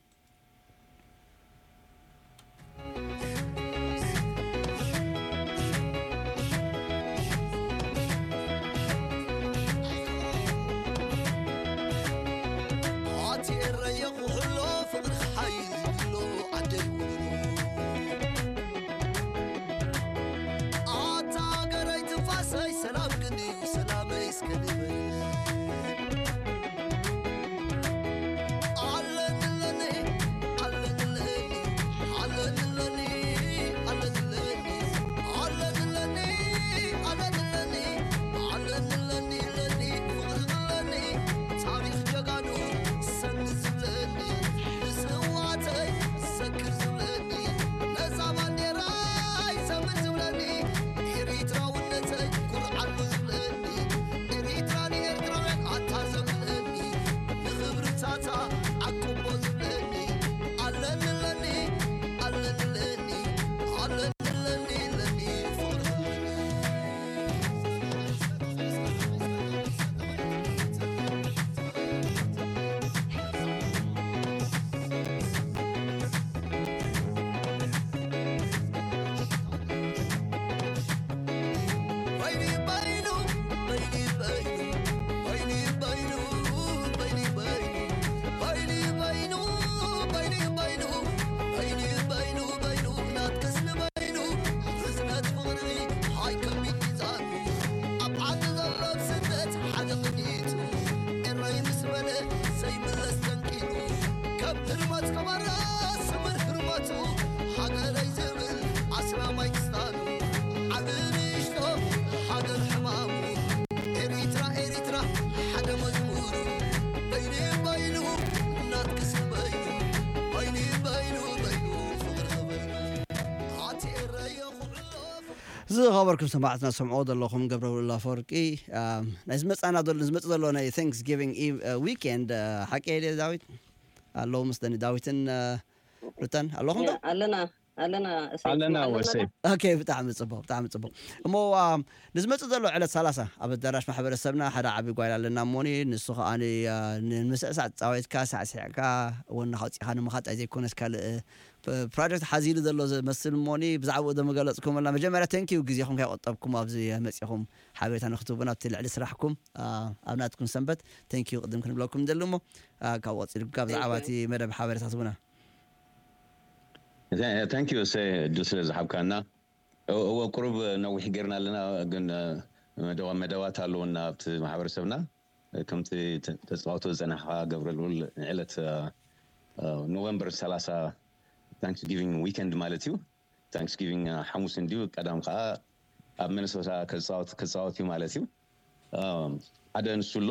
ዝኸበርኩም ሰማዕትና፣ ሰምዕዎ ዘለኹም ገብረብሉል ኣፈወርቂ፣ ናይ ዝመጻና ዘሎ ዝመጽእ ዘሎ ናይ ታንክስጊቪንግ ዊኬንድ ሓቂ የ ዳዊት ኣለዉ ምስ ደኒ ዳዊትን ሩተን ኣለኹም ዶ? ኣለና ኣለና። ኣለና ወሰይ። ኦኬ፣ ብጣዕሚ ጽቡቅ፣ ብጣዕሚ ጽቡቅ። እሞ ንዝመጽእ ዘሎ ዕለት ሰላሳ ኣብ ኣዳራሽ ማሕበረሰብና ሓደ ዓቢ ጓይላ ኣለና እሞኒ፣ ንሱ ከኣ ንምስዕሳዕ ጻወትካ ሳዕሲዕካ ወንኻ ኣውጺኻ ንምኻድ ኣይዘይኮነስ ካልእ ፕሮጀክት ሓዚሉ ዘሎ ዝመስል እሞኒ፣ ብዛዕባኡ ዶ ምገለጽኩምልና? መጀመርያ ተንኪዩ ግዜኹም ከይቆጠብኩም ኣብዚ መጺኹም ሓበሬታ ንክትህቡና ኣብቲ ልዕሊ ስራሕኩም ኣብ ናትኩም ሰንበት ተንኪዩ ቅድም ክንብለኩም ንደሊ እሞ ካብ ቀጺሉ ካብ ብዛዕባ እቲ መደብ ሓበሬታ ትህቡና። Thank you ሰ እድል ስለ ዝሓብካና። እወ ቁሩብ ነዊሕ ጌርና ኣለና፣ ግን መደባት ኣለውና ኣብቲ ማሕበረሰብና። ከምቲ ተፃወቶ ዝፀናሕካ ገብረ ልኡል፣ ዕለት ኖቨምበር ሰላሳ ታንክስጊቪንግ ዊከንድ ማለት እዩ። ታንክስጊቪንግ ሓሙስ እንድዩ፣ ቀዳም ከዓ ኣብ ሚነሶታ ክፃወት ክፃወት እዩ ማለት እዩ። ሓደ ንሱ ኣሎ።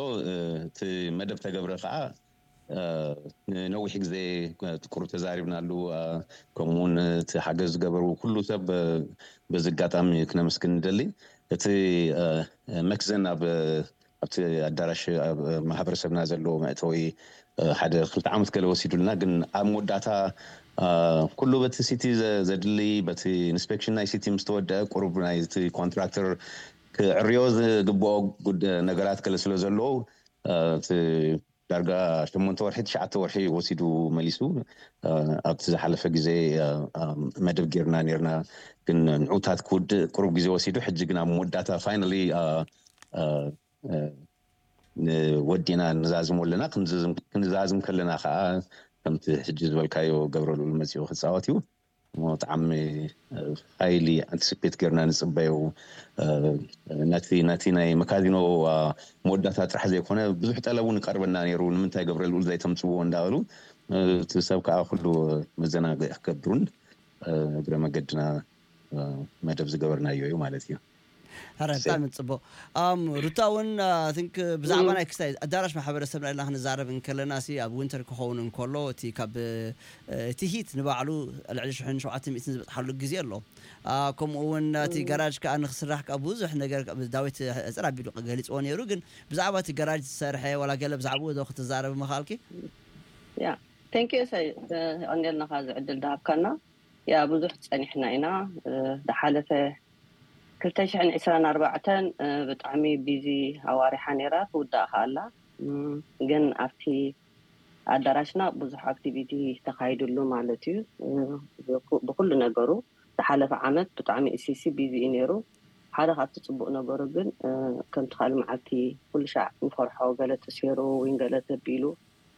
እቲ መደብ ተገብረ ከዓ ንነዊሕ ግዜ ቁሩብ ተዛሪብናሉ። ከምኡውን እቲ ሓገዝ ዝገበሩ ኩሉ ሰብ በዚ ኣጋጣሚ ክነመስግን ንደሊ። እቲ መክዘን ኣብ ኣብቲ ኣዳራሽ ኣብ ማሕበረሰብና ዘለዎ መእተዊ ሓደ ክልተ ዓመት ገለ ወሲዱልና፣ ግን ኣብ መወዳእታ ኩሉ በቲ ሲቲ ዘድሊ በቲ ኢንስፔክሽን ናይ ሲቲ ምስ ተወደአ ቁሩብ ናይቲ ኮንትራክተር ክዕርዮ ዝግብኦ ነገራት ገለ ስለ ዘለዎ እቲ ዳርጋ ሸሞንተ ወርሒ ትሽዓተ ወርሒ ወሲዱ መሊሱ። ኣብቲ ዝሓለፈ ግዜ መደብ ጌርና ኔርና፣ ግን ንዑታት ክውድእ ቁሩብ ግዜ ወሲዱ። ሕጂ ግን ኣብ መወዳእታ ፋይናሊ ወዲእና ንዛዝሞ ኣለና። ክንዛዝም ከለና ከዓ ከምቲ ሕጂ ዝበልካዮ ገብረ ልኡል መፂኡ ክፃወት እዩ። ብጣዕሚ ሃይሊ ኣንቲስፔት ጌርና ንፅበዮ። ነቲ ነቲ ናይ መካዚኖ መወዳእታ ጥራሕ ዘይኮነ ብዙሕ ጠለብ እውን ይቀርበና ነይሩ። ንምንታይ ገብረ ልኡል ዘይተምፅዎ እንዳበሉ እቲ ሰብ ከዓ ኩሉ መዘናግዒ ክገብሩን እግረ መገድና መደብ ዝገበርናዮ እዩ ማለት እዩ። ሕረ ብጣዕሚ ፅቡቅ። ኣም ሩታ እውን ቲንክ ብዛዕባ ናይ ክስታይ ኣዳራሽ ማሕበረሰብና ኢልና ክንዛረብ እንከለና ሲ ኣብ ዊንተር ክኸውን እንከሎ እቲ ካብ እቲ ሂት ንባዕሉ ልዕሊ ሽሕን ሸውዓተ ሚእትን ዝበፅሓሉ ግዜ ኣሎ። ከምኡ እውን እቲ ገራጅ ከዓ ንክስራሕ ከዓ ብዙሕ ነገር ዳዊት ሕፅር ኣቢሉ ገሊፅዎ ነይሩ። ግን ብዛዕባ እቲ ገራጅ ዝሰርሐ ዋላ ገለ ብዛዕባኡ ዶ ክትዛረብ ምኽኣልኪ? ያ፣ thank you እሰይ፣ ቀንዴልናኻ ዝዕድል ዳሃብካና። ያ፣ ብዙሕ ጸኒሕና ኢና። ዝሓለፈ ክልተ ሽሕን ዕስራን ኣርባዕተን ብጣዕሚ ቢዚ ኣዋሪሓ ነይራ፣ ትውዳእ ከኣላ። ግን ኣብቲ ኣዳራሽና ብዙሕ ኣክቲቪቲ ተኻይድሉ ማለት እዩ። ብኩሉ ነገሩ ዝሓለፈ ዓመት ብጣዕሚ ኢሲሲ ቢዚ እዩ ነይሩ። ሓደ ካብቲ ጽቡቕ ነገሩ ግን ከምቲ ካልእ መዓልቲ ኩሉ ሻዕ ንፈርሖ፣ ገለ ተሰይሩ ወይ ገለ ተቢሉ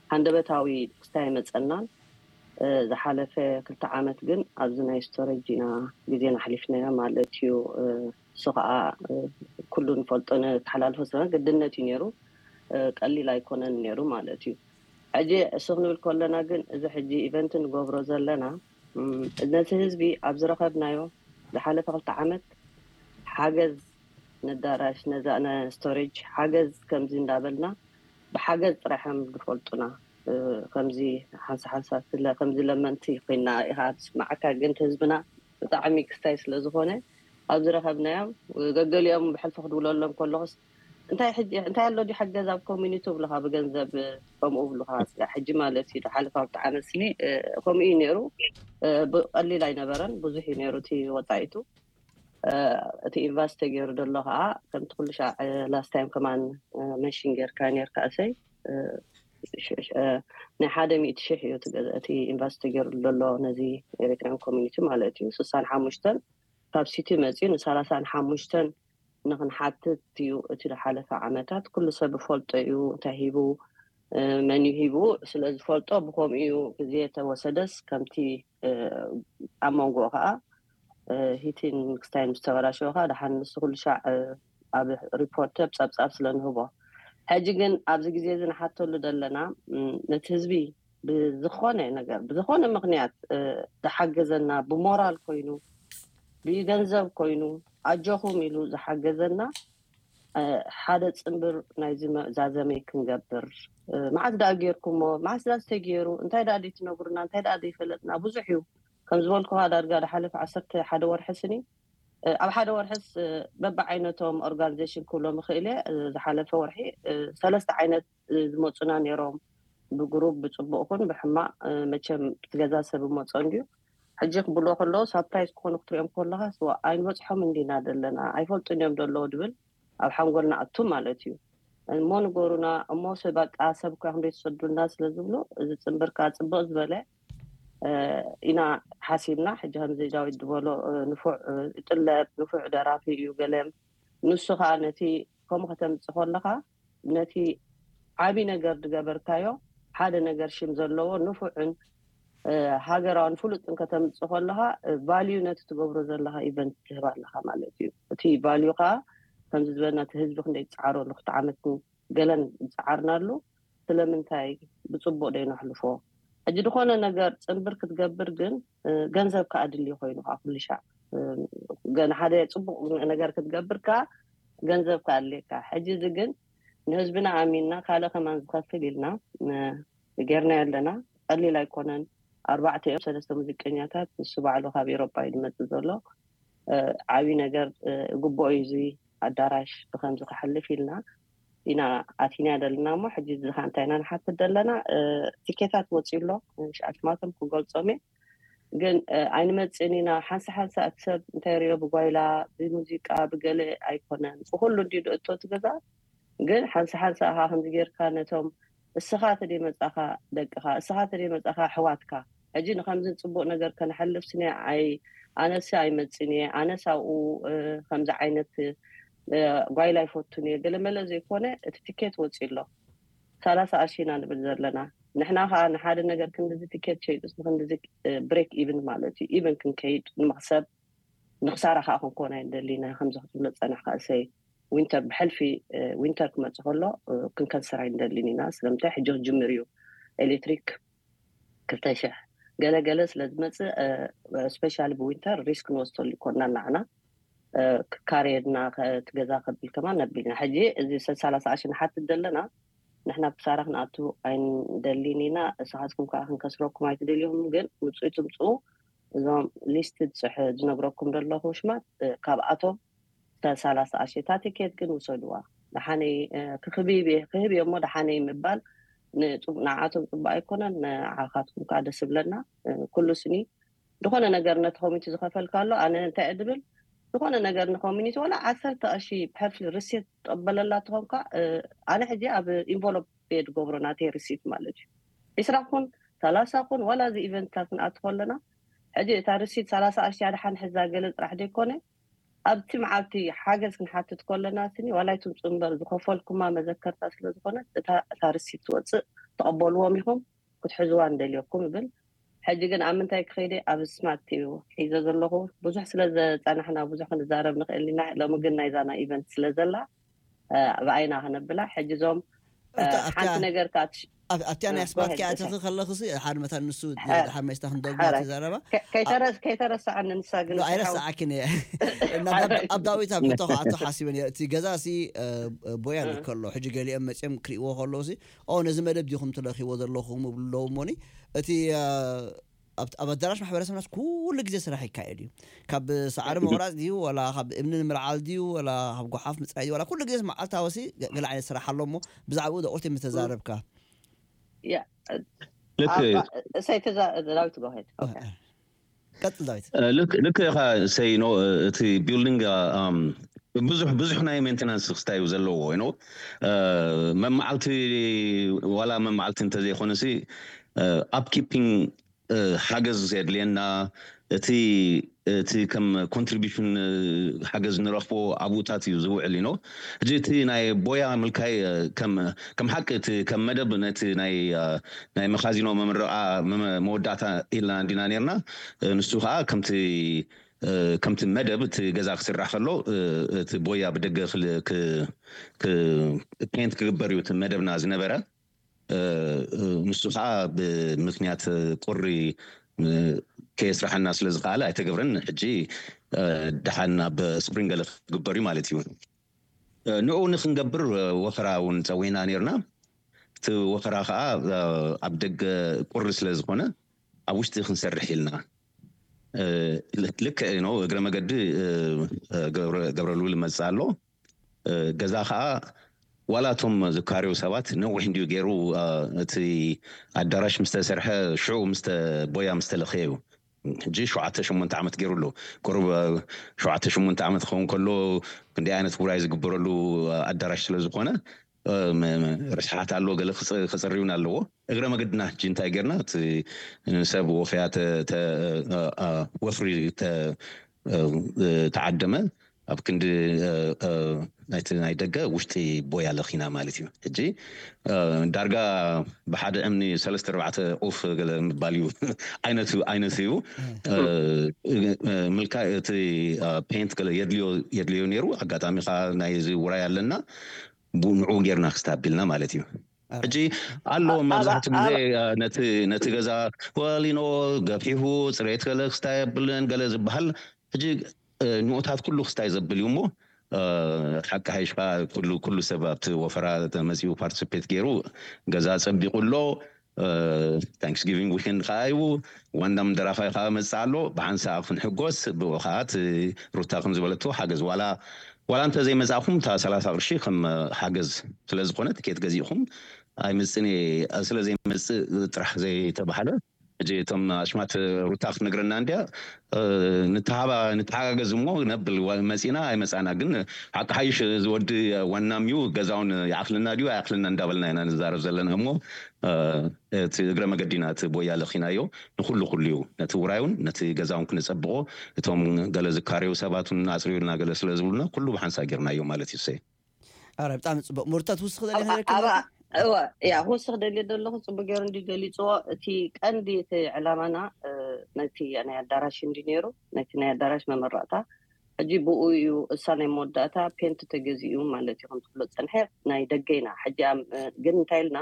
ሃንደበታዊ ክስታይ መጸናን። ዝሓለፈ ክልተ ዓመት ግን ኣብዚ ናይ ስቶሬጅ ኢና ግዜና ኣሕሊፍናዮ ማለት እዩ። እሱ ከዓ ኩሉ ንፈልጦ ነተሓላልፎ ስለ ግድነት እዩ ነይሩ። ቀሊል ኣይኮነን ነይሩ ማለት እዩ። ሕጂ እሱ ክንብል ከለና ግን እዚ ሕጂ ኢቨንት ንገብሮ ዘለና ነቲ ህዝቢ ኣብ ዝረኸብናዮ ዝሓለፈ ክልተ ዓመት ሓገዝ ነዳራሽ ነዛ ስቶሬጅ ሓገዝ ከምዚ እንዳበልና ብሓገዝ ጥራሕም ዝፈልጡና ከምዚ ሓንሳ ሓንሳ ስለ ከምዚ ለመንቲ ኮይና ኢኻ ትስማዓካ። ግን ህዝብና ብጣዕሚ ክስታይ ስለ ዝኾነ ኣብ ዝረኸብናዮም ገገሊኦም ብሕልፊ ክድውለሎም ከለኹስ እንታይ ሕጂ እንታይ ኣሎ ድዩ ሓገዝ ኣብ ኮሚኒቲ ብሉኻ ብገንዘብ ከምኡ ብሉኻ ስጋ ሕጂ ማለት እዩ። ዝሓለፈ ክልተ ዓመት ስኒ ከምኡ እዩ ነይሩ። ብቐሊል ኣይነበረን፣ ብዙሕ እዩ ነይሩ እቲ ወፃኢቱ። እቲ ኢንቨስት ተገይሩ ዘሎ ከዓ ከምቲ ኩሉ ሻዕ ላስት ታይም ከማን መንሽን ጌርካ ኔርካ እሰይ ናይ ሓደ ሚእቲ ሽሕ እዩ እቲ ኢንቨስት ተገይሩ ዘሎ ነዚ ኤሪትሪያን ኮሚኒቲ ማለት እዩ። ስሳን ሓሙሽተን ካብ ሲቲ መፅዩ ንሰላሳን ሓሙሽተን ንክንሓትት እዩ እቲ ዝሓለፈ ዓመታት ኩሉ ሰብ ዝፈልጦ እዩ እንታይ ሂቡ መን እዩ ሂቡ ስለ ዝፈልጦ ብከምኡ እዩ ግዜ ተወሰደስ ከምቲ ኣብ መንጎ ከዓ ሂቲን ክስታይን ምስ ተበላሸወ ከዓ ደሓን ንሱ ኩሉ ሻዕ ኣብ ሪፖርት ኣብ ፀብፃብ ስለ ንህቦ ሕጂ ግን ኣብዚ ግዜ እዚ ንሓተሉ ዘለና ነቲ ህዝቢ ብዝኾነ ነገር ብዝኾነ ምክንያት ዝሓገዘና ብሞራል ኮይኑ ብገንዘብ ኮይኑ ኣጆኹም ኢሉ ዝሓገዘና ሓደ ፅንብር ናይዚ ዛዘመይ ክንገብር መዓስ ዳ ጌርኩሞ መዓስ ዳ ዝተገይሩ እንታይ ዳ ዘይትነግሩና እንታይ ዳ ዘይፈለጥና ብዙሕ እዩ። ከም ዝበልኩኻ ዳርጋ ዝሓለፈ ዓሰርተ ሓደ ወርሒ ስኒ ኣብ ሓደ ወርሕስ በብዓይነቶም ኦርጋኒዜሽን ክብሎም ይኽእል እየ። ዝሓለፈ ወርሒ ሰለስተ ዓይነት ዝመፁና ነይሮም ብግሩብ ብፅቡቕ ኹን ብሕማቕ መቸም ብትገዛ ሰብ መፆ እንድዩ። ሕጂ ክብሎ ከለዉ ሳፕራይዝ ክኾኑ ክትሪኦም ከለኻ ስዋ ኣይንበፅሖም እንዲና ዘለና ኣይፈልጡን እዮም ዘለዉ ድብል ኣብ ሓንጎልና ኣቱ ማለት እዩ። እሞ ንገሩና እሞ በቃ ሰብ እኳ ክንደይ ትሰዱልና ስለ ዝብሉ እዚ ፅንብርካ ፅብቕ ዝበለ ኢና ሓሲብና። ሕጂ ከምዚ ዳዊት ዝበሎ ንፉዕ ይጥለብ ንፉዕ ደራፊ እዩ ገለ ንሱ ከዓ ነቲ ከምኡ ከተምፅእ ከለካ ነቲ ዓብይ ነገር ዝገበርካዮ ሓደ ነገር ሽም ዘለዎ ንፉዕን ሃገራውን ፍሉጥን ከተምፅእ ከለካ ቫልዩ ነቲ ትገብሮ ዘለካ ኢቨንት ትህብ ኣለካ ማለት እዩ። እቲ ቫልዩ ከዓ ከምዚ ዝበልና እቲ ህዝቢ ክንደይ ዝፀዓረሉ ክልተ ዓመት ገለን ዝፀዓርናሉ ስለምንታይ ብፅቡቅ ደይነሕልፎ። ሕጂ ዝኾነ ነገር ፅንብር ክትገብር ግን ገንዘብ ከዓ ድልዩ ኮይኑ ከዓ ኩሉ ሻዕ ገና ሓደ ፅቡቅ ነገር ክትገብር ከዓ ገንዘብ ከዓ ኣድልየካ። ሕጂ እዚ ግን ንህዝብና ኣሚንና ካልእ ከማን ዝኸፍል ኢልና ጌርና ኣለና። ቀሊል ኣይኮነን። ኣርባዕተ እዮም ሰለስተ ሙዚቀኛታት ንሱ ባዕሉ ካብ ኤሮጳ እዩ ዝመፅእ ዘሎ። ዓብይ ነገር ግቡኦ እዩ እዚ ኣዳራሽ ብከምዚ ክሓልፍ ኢልና ኢና ኣቲና ዘለና እሞ ሕጂ እዚ ከዓ እንታይ ኢና ንሓትት ዘለና ቲኬታት ወፂኡ ኣሎ ሽኣሽማቶም ክገልፆም እየ ግን ኣይንመፅእን ኢና ሓንሳ ሓንሳ እቲ ሰብ እንታይ ሪኦ ብጓይላ ብሙዚቃ ብገለ ኣይኮነን ብኩሉ እንዲ ድእቶ እቲ ገዛ ግን ሓንሳ ሓንሳ ኢኻ ከምዚ ጌርካ ነቶም እስኻ ተደይ መጻኻ ደቅኻ እስኻ ተደይ መጻኻ ኣሕዋትካ ሕጂ ንከምዚ ጽቡቕ ነገር ከነሕልፍ ስኒ ኣይ ኣነሲ ኣይመጽን እየ ኣነስ ኣብኡ ከምዚ ዓይነት ጓይላ ኣይፈቱን እየ ገለመለ ዘይኮነ እቲ ትኬት ወጺ ኣሎ ሰላሳ ኣርሺ ኢና ንብል ዘለና ንሕና ከዓ ንሓደ ነገር ክንድዚ ትኬት ሸይጡስ ንክንድዚ ብሬክ ኢቭን ማለት እዩ ኢቭን ክንከይድ ንመክሰብ ንክሳራ ከዓ ክንኮን ኣይንደሊና ከምዚ ክትብሎ ዝፀናሕካ እሰይ ዊንተር ብሕልፊ ዊንተር ክመፅእ ከሎ ክንከስር ኣይንደሊን ኢና ስለምንታይ ሕጂ ክጅምር እዩ ኤሌክትሪክ ክልተ ሽሕ ገለገለ ስለዝመፅእ ስፔሻሊ ብዊንተር ሪስክ ንወስደሉ ይኮና ናዕና ካሬድና እቲ ገዛ ከብል ከማን ነቢልና ሕጂ እዚ ሰላሳ ኣሽን ሓትት ዘለና ንሕና ብክሳራ ክንኣቱ ኣይንደሊን ኢና እሳኻትኩም ከዓ ክንከስረኩም ኣይትደልዩም ግን ምፅኡ ትምፅኡ እዞም ሊስት ዝፅሕ ዝነግረኩም ዘለኹ ሽማት ካብኣቶም ሰላሳ ኣሽታ ቲኬት ግን ውሰድዋ ደሓነይ ክክብብ ክህብ እሞ ደሓነይ ምባል ንዓቶም ፅቡቅ ኣይኮነን። ንዓኻትኩም ከዓ ደስ ብለና። ኩሉ ስኒ ዝኾነ ነገር ነቲ ኮሚኒቲ ዝኸፈልካ ኣሎ። ኣነ እንታይ እድብል ዝኾነ ነገር ንኮሚኒቲ ዋላ ዓሰርተ ቅርሺ ፐርፍሊ ሪሲት ትቀበለላ ትኾንካ። ኣነ ሕጂ ኣብ ኢንቨሎፕ ቤድ ገብሮ ናተይ ሪሲት ማለት እዩ። ዒስራ ኩን ሰላሳ ኩን ዋላ እዚ ኢቨንትታት ክንኣትፎ ኣለና። ሕጂ እታ ሪሲት ሰላሳ ቅርሺ ኣድሓን ሕዛ ገለ ጥራሕ ዘይኮነ ኣብቲ መዓልቲ ሓገዝ ክንሓትት ከለና ስኒ ዋላይቱም ፅንበር ዝኸፈልኩማ መዘከርታ ስለዝኾነ እታ ሪሲት ትወፅእ ተቐበልዎም ኢኹም ክትሕዝዋ እንደልየኩም ይብል። ሕጂ ግን ኣብ ምንታይ ክኸይደ ኣብ ስማርት እዩ ሒዘ ዘለኹ። ብዙሕ ስለ ዘፃናሕና ብዙሕ ክንዛረብ ንኽእል ኢና። ሎሚ ግን ናይዛና ኢቨንት ስለ ዘላ ብኣይና ክነብላ ሕጂ እዞም ሓንቲ ነገር ኣብቲያ ናይ ስማርት ኪኣ ተኺ ከለኽሲ ሓደ መታን ንሱ ድሓር መይስታ ክንደግማ ትዛረባ ከይተረስዓኒ ንሳ ግን ኣይረስዓክን እየ። ኣብ ዳዊት ኣብ ሕቶ ከዓቶ ሓሲበን እየ። እቲ ገዛ ሲ ቦያ ከሎ ሕጂ ገሊኦም መፅኦም ክርእዎ ከለዉ ሲ ኦ ነዚ መደብ ዲኹም ትለኺዎ ዘለኹም እብሉ ኣለዉ እሞኒ እቲ ኣብ ኣዳራሽ ማሕበረሰብናስ ኩሉ ግዜ ስራሕ ይካየድ እዩ። ካብ ሳዕሪ ምቑራፅ ድዩ ወላ ካብ እምኒ ንምልዓል ድዩ ወላ ካብ ጓሓፍ ምፅራይ ድዩ ወላ ኩሉ ግዜ መዓልታዊ ሲ ገለ ዓይነት ስራሕ ኣሎ እሞ ብዛዕባኡ ቁርቲ ምተዛረብካ ሰይቲ ዳዊት ጎሄድ ቀፅል ዳዊት ልክ ኢኻ ሰይኖ። እቲ ቢልዲንግ ብዙሕ ብዙሕ ናይ ሜንቴናንስ ክስታይ እዩ ዘለዎ ይኖ መመዓልቲ ዋላ መመዓልቲ እንተዘይኮነሲ ኣፕኪፒንግ ሓገዝ የድልየና። እቲ እቲ ከም ኮንትሪቢሽን ሓገዝ ንረኽቦ ኣብኡታት እዩ ዝውዕል ኢኖ። ሕጂ እቲ ናይ ቦያ ምልካይ ከም ሓቂ እቲ ከም መደብ ነቲ ናይ መኻዚኖ መምረቓ መወዳእታ ኢልና እንዲና ነርና። ንሱ ከዓ ከምቲ ከምቲ መደብ እቲ ገዛ ክስራሕ ከሎ እቲ ቦያ ብደገ ፔንት ክግበር እዩ እቲ መደብና ዝነበረ። ንሱ ከዓ ብምክንያት ቁሪ ከየስራሐና ስለ ዝከኣለ ኣይተገብረን። ሕጂ ደሓን ኣብ ስፕሪንግ ገለ ክግበር እዩ ማለት እዩ። ንኡ ንክንገብር ወፈራ እውን ፀዊዕና ነርና። እቲ ወፈራ ከዓ ኣብ ደገ ቁሪ ስለ ዝኾነ ኣብ ውሽጢ ክንሰርሕ ኢልና ልክዕ ነው። እግረ መገዲ ገብረልውል መፅእ ኣሎ። ገዛ ከዓ ዋላ እቶም ዝካርዩ ሰባት ነዊሕ እንዲዩ ገይሩ እቲ ኣዳራሽ ምስተሰርሐ ሽዑ ምስተ ቦያ ምስተለኸየ እዩ። ሕጂ ሸውዓተ ሸሞንተ ዓመት ገይሩ ኣሎ። ቁሩብ ሸውዓተ ሸሞንተ ዓመት ክኸውን ከሎ ክንደይ ዓይነት ውራይ ዝግበረሉ ኣዳራሽ ስለ ዝኾነ ርስሓት ኣሎ፣ ገለ ክፅርዩን ኣለዎ። እግረ መገድና ሕጂ እንታይ ጌርና እቲ ንሰብ ወፈያ ወፍሪ ተዓደመ ኣብ ክንዲ ናይቲ ናይ ደገ ውሽጢ ቦያ ለኺና ማለት እዩ። ሕጂ ዳርጋ ብሓደ እምኒ ሰለስተ ኣርባዕተ ኡፍ ገለ ምባል እዩ። ዓይነት እዩ። ምልካ እቲ ፔንት ገለ የድልዮ ነይሩ። ኣጋጣሚ ከዓ ናይ እዚ ውራይ ኣለና፣ ንዑ ጌርና ክስታቢልና ማለት እዩ። ሕጂ ኣሎ መብዛሕትኡ ግዜ ነቲ ገዛ ወሊኖ ገፊሑ ፅሬት ገለ ክስታይ የብልን ገለ ዝበሃል። ሕጂ ንኡታት ኩሉ ክስታይ ዘብል እዩ እሞ ሓቂ ሓይሽካ ኩሉ ሰብ ኣብቲ ወፈራ መፂኡ ፓርቲስፔት ገይሩ ገዛ ፀቢቑ ኣሎ። ታንክስጊቪንግ ዊኬንድ ከዓ እዩ። ዋንዳም ደራፋይ ከዓ መፅእ ኣሎ። ብሓንሳእ ክንሕጎስ ብኡ ከዓ እቲ ሩታ ከም ዝበለቶ ሓገዝ ዋላ ዋላ እንተ ዘይመፃእኹም እታ ሰላሳ ቅርሺ ከም ሓገዝ ስለ ዝኾነ ትኬት ገዚእኹም ኣይመፅእን እየ ስለ ዘይመፅእ ጥራሕ ዘይተባህለ። ሕጂ እቶም ኣሽማት ሩታ ክትነግረና እንድያ ንተሓጋገዝ እሞ ነብል መፂና ኣይመፃና ግን ሓቂ ሓይሽ ዝወዲ ዋናም እዩ። ገዛውን ይኣኽልና ድዩ ኣይኣኽልና እንዳበልና ኢና ንዛረብ ዘለና እሞ እቲ እግረ መገዲና እቲ ቦያ ለኺናዮ ንኩሉ ኩሉ እዩ። ነቲ ውራዩን ነቲ ገዛውን ክነፀብቆ እቶም ገለ ዝካረዩ ሰባትን ኣፅርዩልና ገለ ስለ ዝብሉና ኩሉ ብሓንሳ ጌርናዮ ማለት እዩ። ሰይ ኣረ ብጣዕሚ ፅቡቅ። ሙርታት ውስኽ ደለ እዋ ያ ክወስኽ ደልየ ዘለኹ ፅቡቅ ገይሩ እንዲ ገሊፅዎ። እቲ ቀንዲ እቲ ዕላማና ነቲ ናይ ኣዳራሽ እንዲ ነይሩ ነቲ ናይ ኣዳራሽ መመረቕታ ሕጂ ብኡ እዩ እሳ ናይ መወዳእታ ፔንት ተገዚኡ ማለት እዩ። ከምትብሎ ፀንሐ ናይ ደገ ኢና ሕጂ ግን እንታይ ኢልና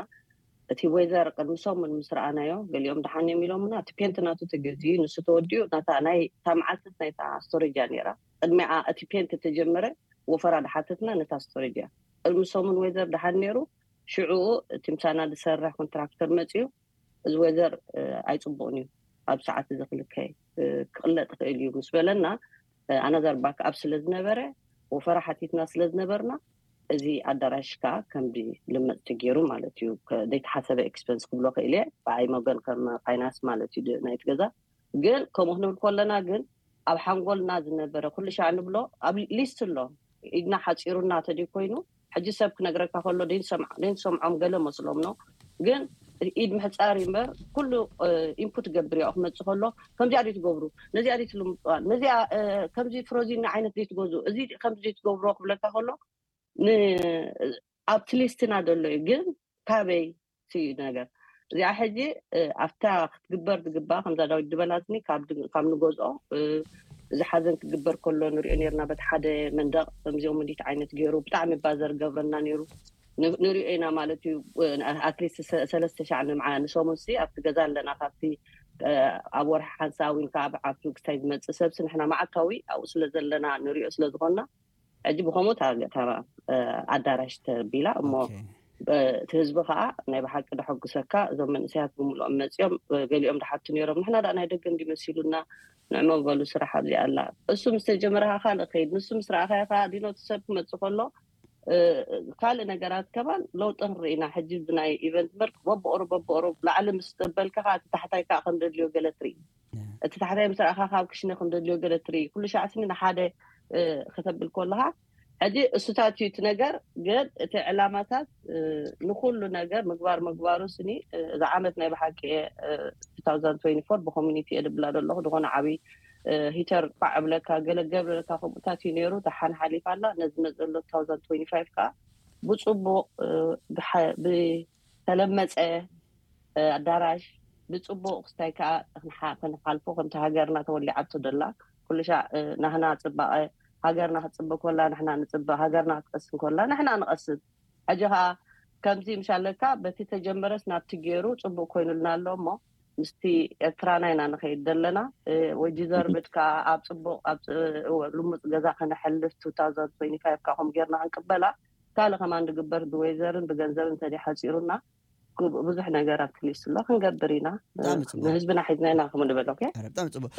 እቲ ወይዘር ቅድሚ ሰሙን ምስ ረኣናዮ ገሊኦም ደሓን እዮም ኢሎምና። እቲ ፔንት ናቱ ተገዚኡ ንሱ ተወዲኡ ናታ ናይ እታ መዓልትስ ናይታ ስቶሬጅ እያ ነይራ። ቅድሚኣ እቲ ፔንት ተጀመረ ወፈራ ደሓተትና ነታ ስቶሬጅ እያ። ቅድሚ ሰሙን ወይዘር ደሓን ነይሩ። ሽዑኡ እቲ ምሳና ዝሰርሕ ኮንትራክተር መፅዩ እዚ ወይዘር ኣይፅቡቕን እዩ ኣብ ሰዓት እዚ ክልከ ክቕለጥ ይኽእል እዩ ምስ በለና ኣናዛር ባክኣፕ ስለ ዝነበረ ወፈራ ሓቲትና ስለ ዝነበርና እዚ ኣዳራሽ ከዓ ከምዚ ልመፅ ተገይሩ ማለት እዩ። ዘይተሓሰበ ኤክስፐንስ ክብሎ ክእል እየ ብዓይ መገን ከም ፋይናንስ ማለት እዩ ናይቲ ገዛ። ግን ከምኡ ክንብል ከለና ግን ኣብ ሓንጎልና ዝነበረ ኩሉ ሻዕ ንብሎ ኣብ ሊስት ኣሎ። ኢድና ሓፂሩና ተደ ኮይኑ ሕጂ ሰብ ክነግረካ ከሎ ደይንሰምዖም ገለ መስሎም ነው። ግን ኢድ ምሕፃር እምበር ኩሉ ኢንፑት ገብር ያው ክመፅእ ከሎ ከምዚኣ ደይ ትገብሩ፣ ነዚኣ ደይ ትልምፅዋ፣ ነዚኣ ከምዚ ፍሮዚን ዓይነት ደይ ትገዙ፣ እዚ ከምዚ ደይ ትገብሮ ክብለካ ከሎ ኣብቲ ሊስትና ዘሎ እዩ። ግን ካበይ እዩ ነገር እዚኣ ሕጂ ኣብታ ክትግበር ዝግባ ከምዛ ዳዊት ዝበላትኒ ካብ ንገዝኦ እዚ ሓዘን ክግበር ከሎ ንሪኦ ነርና በቲ ሓደ መንደቕ ከምዚኦም ምዲት ዓይነት ገይሩ ብጣዕሚ ባዘር ገብረና ነይሩ። ንሪኦ ኢና ማለት እዩ። ኣትሊስት ሰለስተ ሻዕ ንምዓ ንሰሙን ሲ ኣብቲ ገዛ ኣለና። ካብቲ ኣብ ወርሒ ሓንሳ ዊን ከዓ ብዓብቱ ክሳይ ዝመፅእ ሰብሲ ንሕና መዓልታዊ ኣብኡ ስለ ዘለና ንሪኦ ስለ ዝኾንና ሕጂ ብኸምኡ እታ ኣዳራሽ ተቢላ እሞ እቲ ህዝቢ ከዓ ናይ ብሓቂ ደሐጉሰካ። እዞም መንእሰያት ብምልኦም መፂኦም ገሊኦም ደሓቱ ነይሮም ንሕና ዳ ናይ ደገ እንዲመሲሉና ንዕሞ በሉ ስራሕ ኣብዚኣ ኣላ። እሱ ምስ ተጀመረ ከዓ ካልእ ከይድ ንሱ ምስ ረኣኻዮ ከዓ ዲኖ እቲ ሰብ ክመፅእ ከሎ ካልእ ነገራት ከማን ለውጢ ክንርኢ ኢና። ሕጂ እዚ ናይ ኢቨንት መርክ በብኦሮ በብኦሮ ላዕሊ ምስ ዘበልካ ከዓ እቲ ታሕታይ ከዓ ከም ደድልዮ ገለ ትርኢ። እቲ ታሕታይ ምስ ረኣኻ ካብ ክሽነ ከም ደድልዮ ገለ ትርኢ። ኩሉ ሻዕ ስኒ ንሓደ ከተብል ከለኻ ሕጂ እሱታት እዩ እቲ ነገር። ግን እቲ ዕላማታት ንኩሉ ነገር ምግባር ምግባሩ ስኒ እዚ ዓመት ናይ ብሓቂ እየ two thousand twenty-four ብኮሚኒቲ እየ ድብላ ዘለኹ ድኾነ ዓብይ ሂተር ቋዕ ብለካ ገለ ገብረለካ ከምኡታት እዩ ነይሩ። ደሓን ሓሊፋ ኣላ። ነዚ መፅእ ዘሎ two thousand twenty-five ከዓ ብፅቡቕ ብተለመፀ ኣዳራሽ ብፅቡቕ ክስታይ ከዓ ክንሓልፎ ከምቲ ሃገርና ተወሊዓቶ ደላ ኩሉ ሻዕ ናህና ፅባቐ ሃገርና ክትፅበ ኮላ ንሕና ንፅበ ሃገርና ክትቀስን ኮላ ንሕና ንቐስን። ሕጂ ከዓ ከምዚ ምሻለካ በቲ ተጀመረስ ናብቲ ገይሩ ፅቡቅ ኮይኑልና ኣሎ እሞ ምስቲ ኤርትራና ኢና ንኸይድ ዘለና። ወይ ዲዘርቭድ ከዓ ኣብ ፅቡቅ ኣብ ልሙፅ ገዛ ከነሕልፍ two thousand twenty-five ከዓ ከም ጌርና ክንቅበላ ካልእ ከማን ድግበር ብወይዘርን ብገንዘብ እንተደ ሓፂሩና ብዙሕ ነገር ኣብቲ ሊስት ኣሎ ክንገብር ኢና። ንህዝብና ሒዝና ኢና ከም ንበል። ብጣዕሚ ፅቡቅ።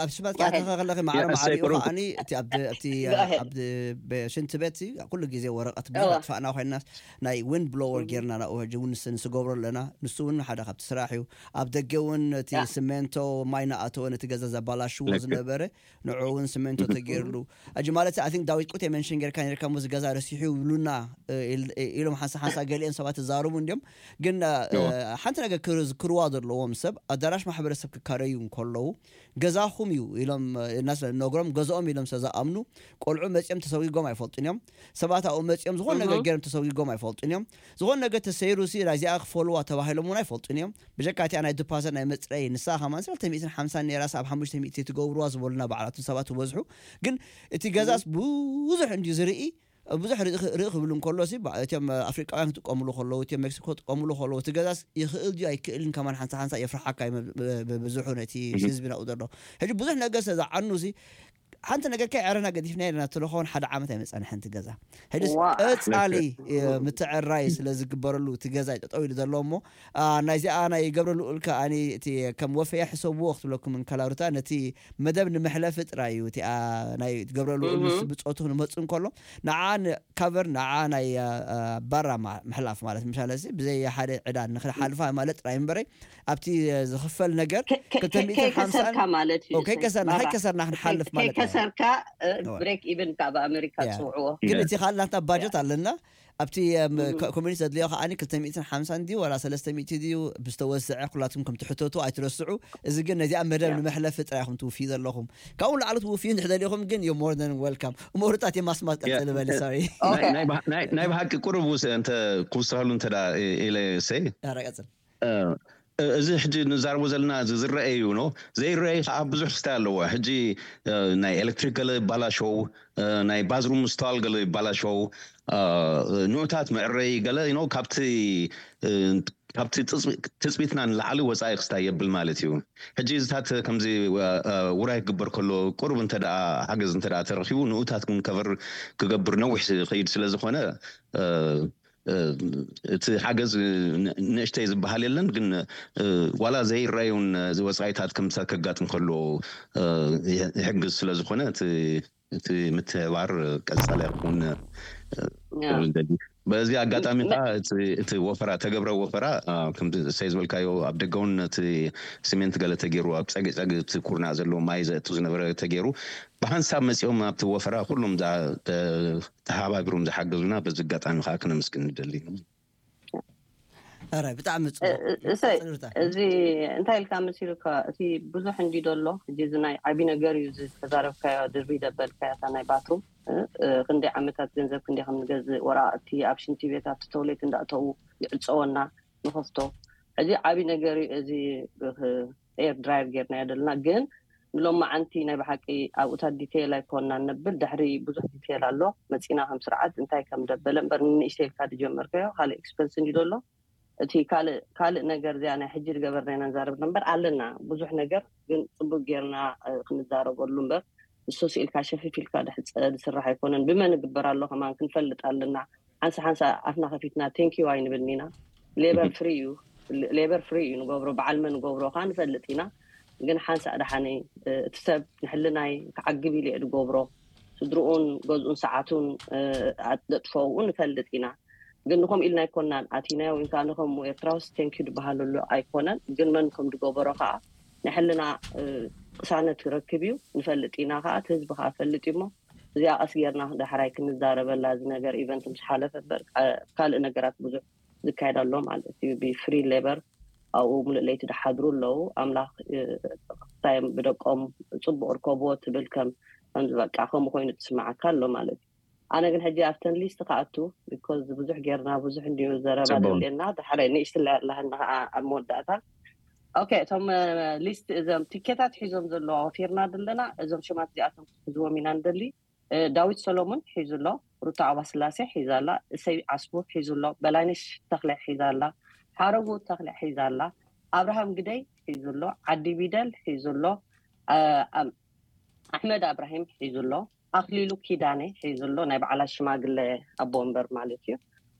ኣብ ሽማት ኣተኸ ከለኺ ማዕረ ማዕሪኡ ከዓኒ እቲ ኣብቲ ሽንቲ ቤት ኩሉ ግዜ ወረቀት ብዙሕ ኣጥፋእና ኮይና ናይ ዊንድ ብሎወር ጌርና ናብኡ ሕጂ እውን ንስገብሮ ኣለና። ንሱ እውን ሓደ ካብቲ ስራሕ እዩ። ኣብ ደገ እውን እቲ ስሜንቶ ማይ ናኣተወ ነቲ ገዛ ዘባላሽዎ ዝነበረ ንዑ እውን ስሜንቶ ተገይርሉ። ሕጂ ማለት ኣይ ቲንክ ዳዊት ቁት የመንሽን ጌርካ ኔርካ ሞዚ ገዛ ረሲሑ ይብሉና ኢሎም ሓንሳ ሓንሳ ገሊኦም ሰባት ተዛርቡ እንዲዮም። ግን ሓንቲ ነገር ክርዋ ዘለዎም ሰብ ኣዳራሽ ማሕበረሰብ ክካረዩ እንከለዉ ገዛኹም እዩ ኢሎም እናስለ ነግሮም ገዛኦም ኢሎም ሰ ዝኣምኑ ቆልዑ መፂኦም ተሰጊጎም ኣይፈልጡን እዮም። ሰባት ኣብኡ መፂኦም ዝኾነ ነገር ገይሮም ተሰጊጎም ኣይፈልጡን እዮም። ዝኾነ ነገር ተሰይሩ ሲ ናይዚኣ ክፈልዋ ተባሂሎም እውን ኣይፈልጡን እዮም። ብጀካ እቲኣ ናይ ዲፓዘት ናይ መፅረይ ንሳ ከማን ሰለስተ ሚእትን ሓምሳን ነይራ ኣብ ሓሙሽተ ሚእቲ ትገብርዋ ዝበሉና ባዕላቱ ሰባት ዝበዝሑ። ግን እቲ ገዛስ ብዙሕ እንድዩ ዝርኢ ብዙሕ ርኢ ክብል እንከሎ እቲኦም ኣፍሪቃውያን ክጥቀምሉ ከለዉ እቲኦም ሜክሲኮ ክጥቀምሉ ከለዉ እቲ ገዛስ ይኽእል ድዩ ኣይክእልን ከማን ሓንሳ ሓንሳ የፍርሓካ እዩ። ብዙሑ ነቲ ህዝቢ ናብኡ ዘሎ ሕጂ ብዙሕ ነገር ስለ ዝዓኑ ሓንቲ ነገር ከይ ዕረና ገዲፍና ኢለና ትለኸውን ሓደ ዓመት ኣይመፃን ሓንቲ ገዛ ሕጂ ቀፃሊ ምትዕራይ ስለ ዝግበረሉ እቲ ገዛ ጠጠው ኢሉ ዘሎ እሞ ናይዚኣ ናይ ገብረ ልኡል ከዓኒ እቲ ከም ወፈያ ሕሰብዎ ክትብለኩም እንከላ ሩታ ነቲ መደብ ንምሕለፊ ጥራይ እዩ። እቲኣ ናይ ገብረ ልኡል ምስ ብፆቱ ክንመፁ እንከሎ ንዓ ካቨር ንዓ ናይ ባራ ምሕላፍ ማለት ምሻለ ብዘይ ሓደ ዕዳ ንክሓልፋ ማለት ጥራይ እምበረይ ኣብቲ ዝኽፈል ነገር ከይከሰርካ ማለት እዩ። ከይከሰርና ከይከሰርና ክንሓልፍ ማለት ከይከሰርካ ብሬክ ኢቨን ካብ ኣሜሪካ ዝፅውዕዎ ግን እቲ ካልእ ናትና ባጀት ኣለና። ኣብቲ ኮሚኒቲ ዘድልዮ ከዓኒ ክልተ ሚእትን ሓምሳን ድዩ ዋላ ሰለስተ ሚእቲ ድዩ ብዝተወስዐ ኩላትኩም ከም ትሕተቱ ኣይትረስዑ። እዚ ግን ነዚኣ መደብ ንመሕለፊ ጥራይ ኢኹም ትውፍዩ ዘለኹም። ካብኡ ንላዕሊ ትውፍዩ እንድሕር ደሊኹም ግን you're more than welcome። እሞ ሩታ እቲ ማስማት ቀፅሊ በሊ። ሶሪ። ናይ ብሃ- ናይ- ናይ ብሃቂ ቁሩብ ውስ እንተ ክውስኸሉ እንተ ደኣ ኢለ ሰይ ኧረ ቀፅል። እዚ ሕጂ ንዛረቦ ዘለና እዚ ዝረአ እዩ ኖ ዘይረአ ከዓ ብዙሕ ክስታይ ኣለዎ። ሕጂ ናይ ኤሌክትሪክ ገለ ይባላሸው፣ ናይ ባዝሩም ምስተዋል ገለ ይባላሸው፣ ንኡታት መዕረይ ገለ ኖ ካብቲ ካብቲ ትፅቢትና ንላዕሊ ወፃኢ ክስታይ የብል ማለት እዩ። ሕጂ እዚታት ከምዚ ውራይ ክግበር ከሎ ቁሩብ እንተ ሓገዝ እንተ ተረኪቡ ንኡታት እውን ከቨር ክገብር ነዊሕ ክይድ ስለ ዝኾነ እቲ ሓገዝ ንእሽተይ ዝበሃል የለን። ግን ዋላ ዘይረኣዩን ዝወፃኢታት ከምሳ ከጋጥም ከሎ ይሕግዝ ስለዝኾነ እቲ ምትሕባር ቀፃሊ ክኸውን በዚ ኣጋጣሚ ከዓ እቲ ወፈራ ተገብረ ወፈራ ከምሰይ ዝበልካዮ ኣብ ደገውን እቲ ሲሜንት ገለ ተገይሩ ኣብ ፀግፀግ እቲ ኩርናዕ ዘለዎ ማይ ዘእቱ ዝነበረ ተገይሩ ብሓንሳብ መፂኦም ኣብቲ ወፈራ ኩሎም ተሓባቢሮም ዝሓገዙና በዚ ኣጋጣሚ ከዓ ክነመስግን ንደሊ። ረ ብጣዕሚ እሰይ እዚ እንታይ ኢልካ መሲሉካ? እቲ ብዙሕ እንዲ ደሎ እዚ ናይ ዓቢ ነገር እዩ ዝተዛረብካዮ ድርቢ ደበልካዮ እታ ናይ ባትሩም ክንደይ ዓመታት ገንዘብ ክንደይ ከም ንገዝእ ወረቃቅቲ ኣብ ሽንቲ ቤት ኣብቲ ተውሌት እንዳእተዉ ይዕፀወና ንኸፍቶ። እዚ ዓቢ ነገር እዩ። እዚ ኤር ድራየር ጌርናዮ ዘለና ግን ንሎማዓንቲ ናይ ብሓቂ ኣብኡታት ዲቴይል ኣይኮንና ነብል ድሕሪ ብዙሕ ዲቴይል ኣሎ መፂና ከም ስርዓት እንታይ ከም ደበለ እምበር ንንእሽተይ ኢልካ ዝጀመርካዮ ካልእ ኤክስፐንስ እንዲ ደሎ እቲ ካልእ ካልእ ነገር እዚኣ ናይ ሕጂ ዝገበርና ኢና ንዛረብ እምበር ኣለና ብዙሕ ነገር ግን ፅቡቅ ጌርና ክንዛረበሉ እምበር ንሱ ስኢልካ ሸፊፍ ኢልካ ዝስራሕ ኣይኮነን ብመን ግበር ኣሎ ከማን ክንፈልጥ ኣለና ሓንሳ ሓንሳ ኣፍና ከፊትና ቴንኪዩ ኣይንብልን ኢና ሌበር ፍሪ እዩ ሌበር ፍሪ እዩ ንገብሮ በዓል መን ንገብሮ ከዓ ንፈልጥ ኢና ግን ሓንሳ ደሓነይ እቲ ሰብ ንሕልናይ ክዓግብ ኢሉ እየ ዝገብሮ ስድርኡን ገዝኡን ሰዓቱን ኣጥፍኡ ንፈልጥ ኢና ግን ንኸምኡ ኢልና ኣይኮናን ኣቲናዮ ወይ ከዓ ንኸምኡ ኤርትራውስ ቴንኪዩ ዝበሃለሉ ኣይኮነን ግን መን ከም ዝገበሮ ከዓ ንሕልና ቅሳነት ክረክብ እዩ ንፈልጥ ኢና ከዓ እቲ ህዝቢ ከዓ ፈልጥ እዩ እሞ እዚኣ ቀስ ጌርና ዳሕራይ ክንዛረበላ እዚ ነገር ኢቨንት ምስ ሓለፈ እምበር ካልእ ነገራት ብዙሕ ዝካየድ ኣሎ ማለት እዩ ብፍሪ ሌበር ኣብኡ ሙሉእ ለይቲ ዝሓድሩ ኣለዉ ኣምላኽ ክሳዮም ብደቆም ፅቡቅ ርከብዎ ትብል ከም ከምዚ በቃ ከምኡ ኮይኑ ትስማዓካ ኣሎ ማለት እዩ ኣነ ግን ሕጂ ኣብተን ሊስት ክኣቱ ቢኮዝ ብዙሕ ጌርና ብዙሕ እንዲዩ ዘረባ ደልየና ዳሕራይ ንእሽትላይ ኣለሃና ከዓ ኣብ መወዳእታ ኦኬ እቶም ሊስት እዞም ቲኬታት ሒዞም ዘለዋ ወፊርና ዘለና እዞም ሽማት እዚኣቶም ክሕዝዎም ኢና ንደሊ ዳዊት ሰሎሞን ሒዙ ኣሎ ሩታ ኣባስላሴ ሒዛ ኣላ እሰይ ዓስቡ ሒዙ ኣሎ በላይነሽ ተኽለ ሒዛ ኣላ ሓረጉ ተኽለ ሒዛ ኣላ ኣብርሃም ግደይ ሒዙ ኣሎ ዓዲ ቢደል ሒዙ ኣሎ ኣሕመድ ኣብራሂም ሒዙ ኣሎ ኣኽሊሉ ኪዳነ ሒዙ ኣሎ ናይ በዓላት ሽማግለ ኣቦ ወንበር ማለት እዩ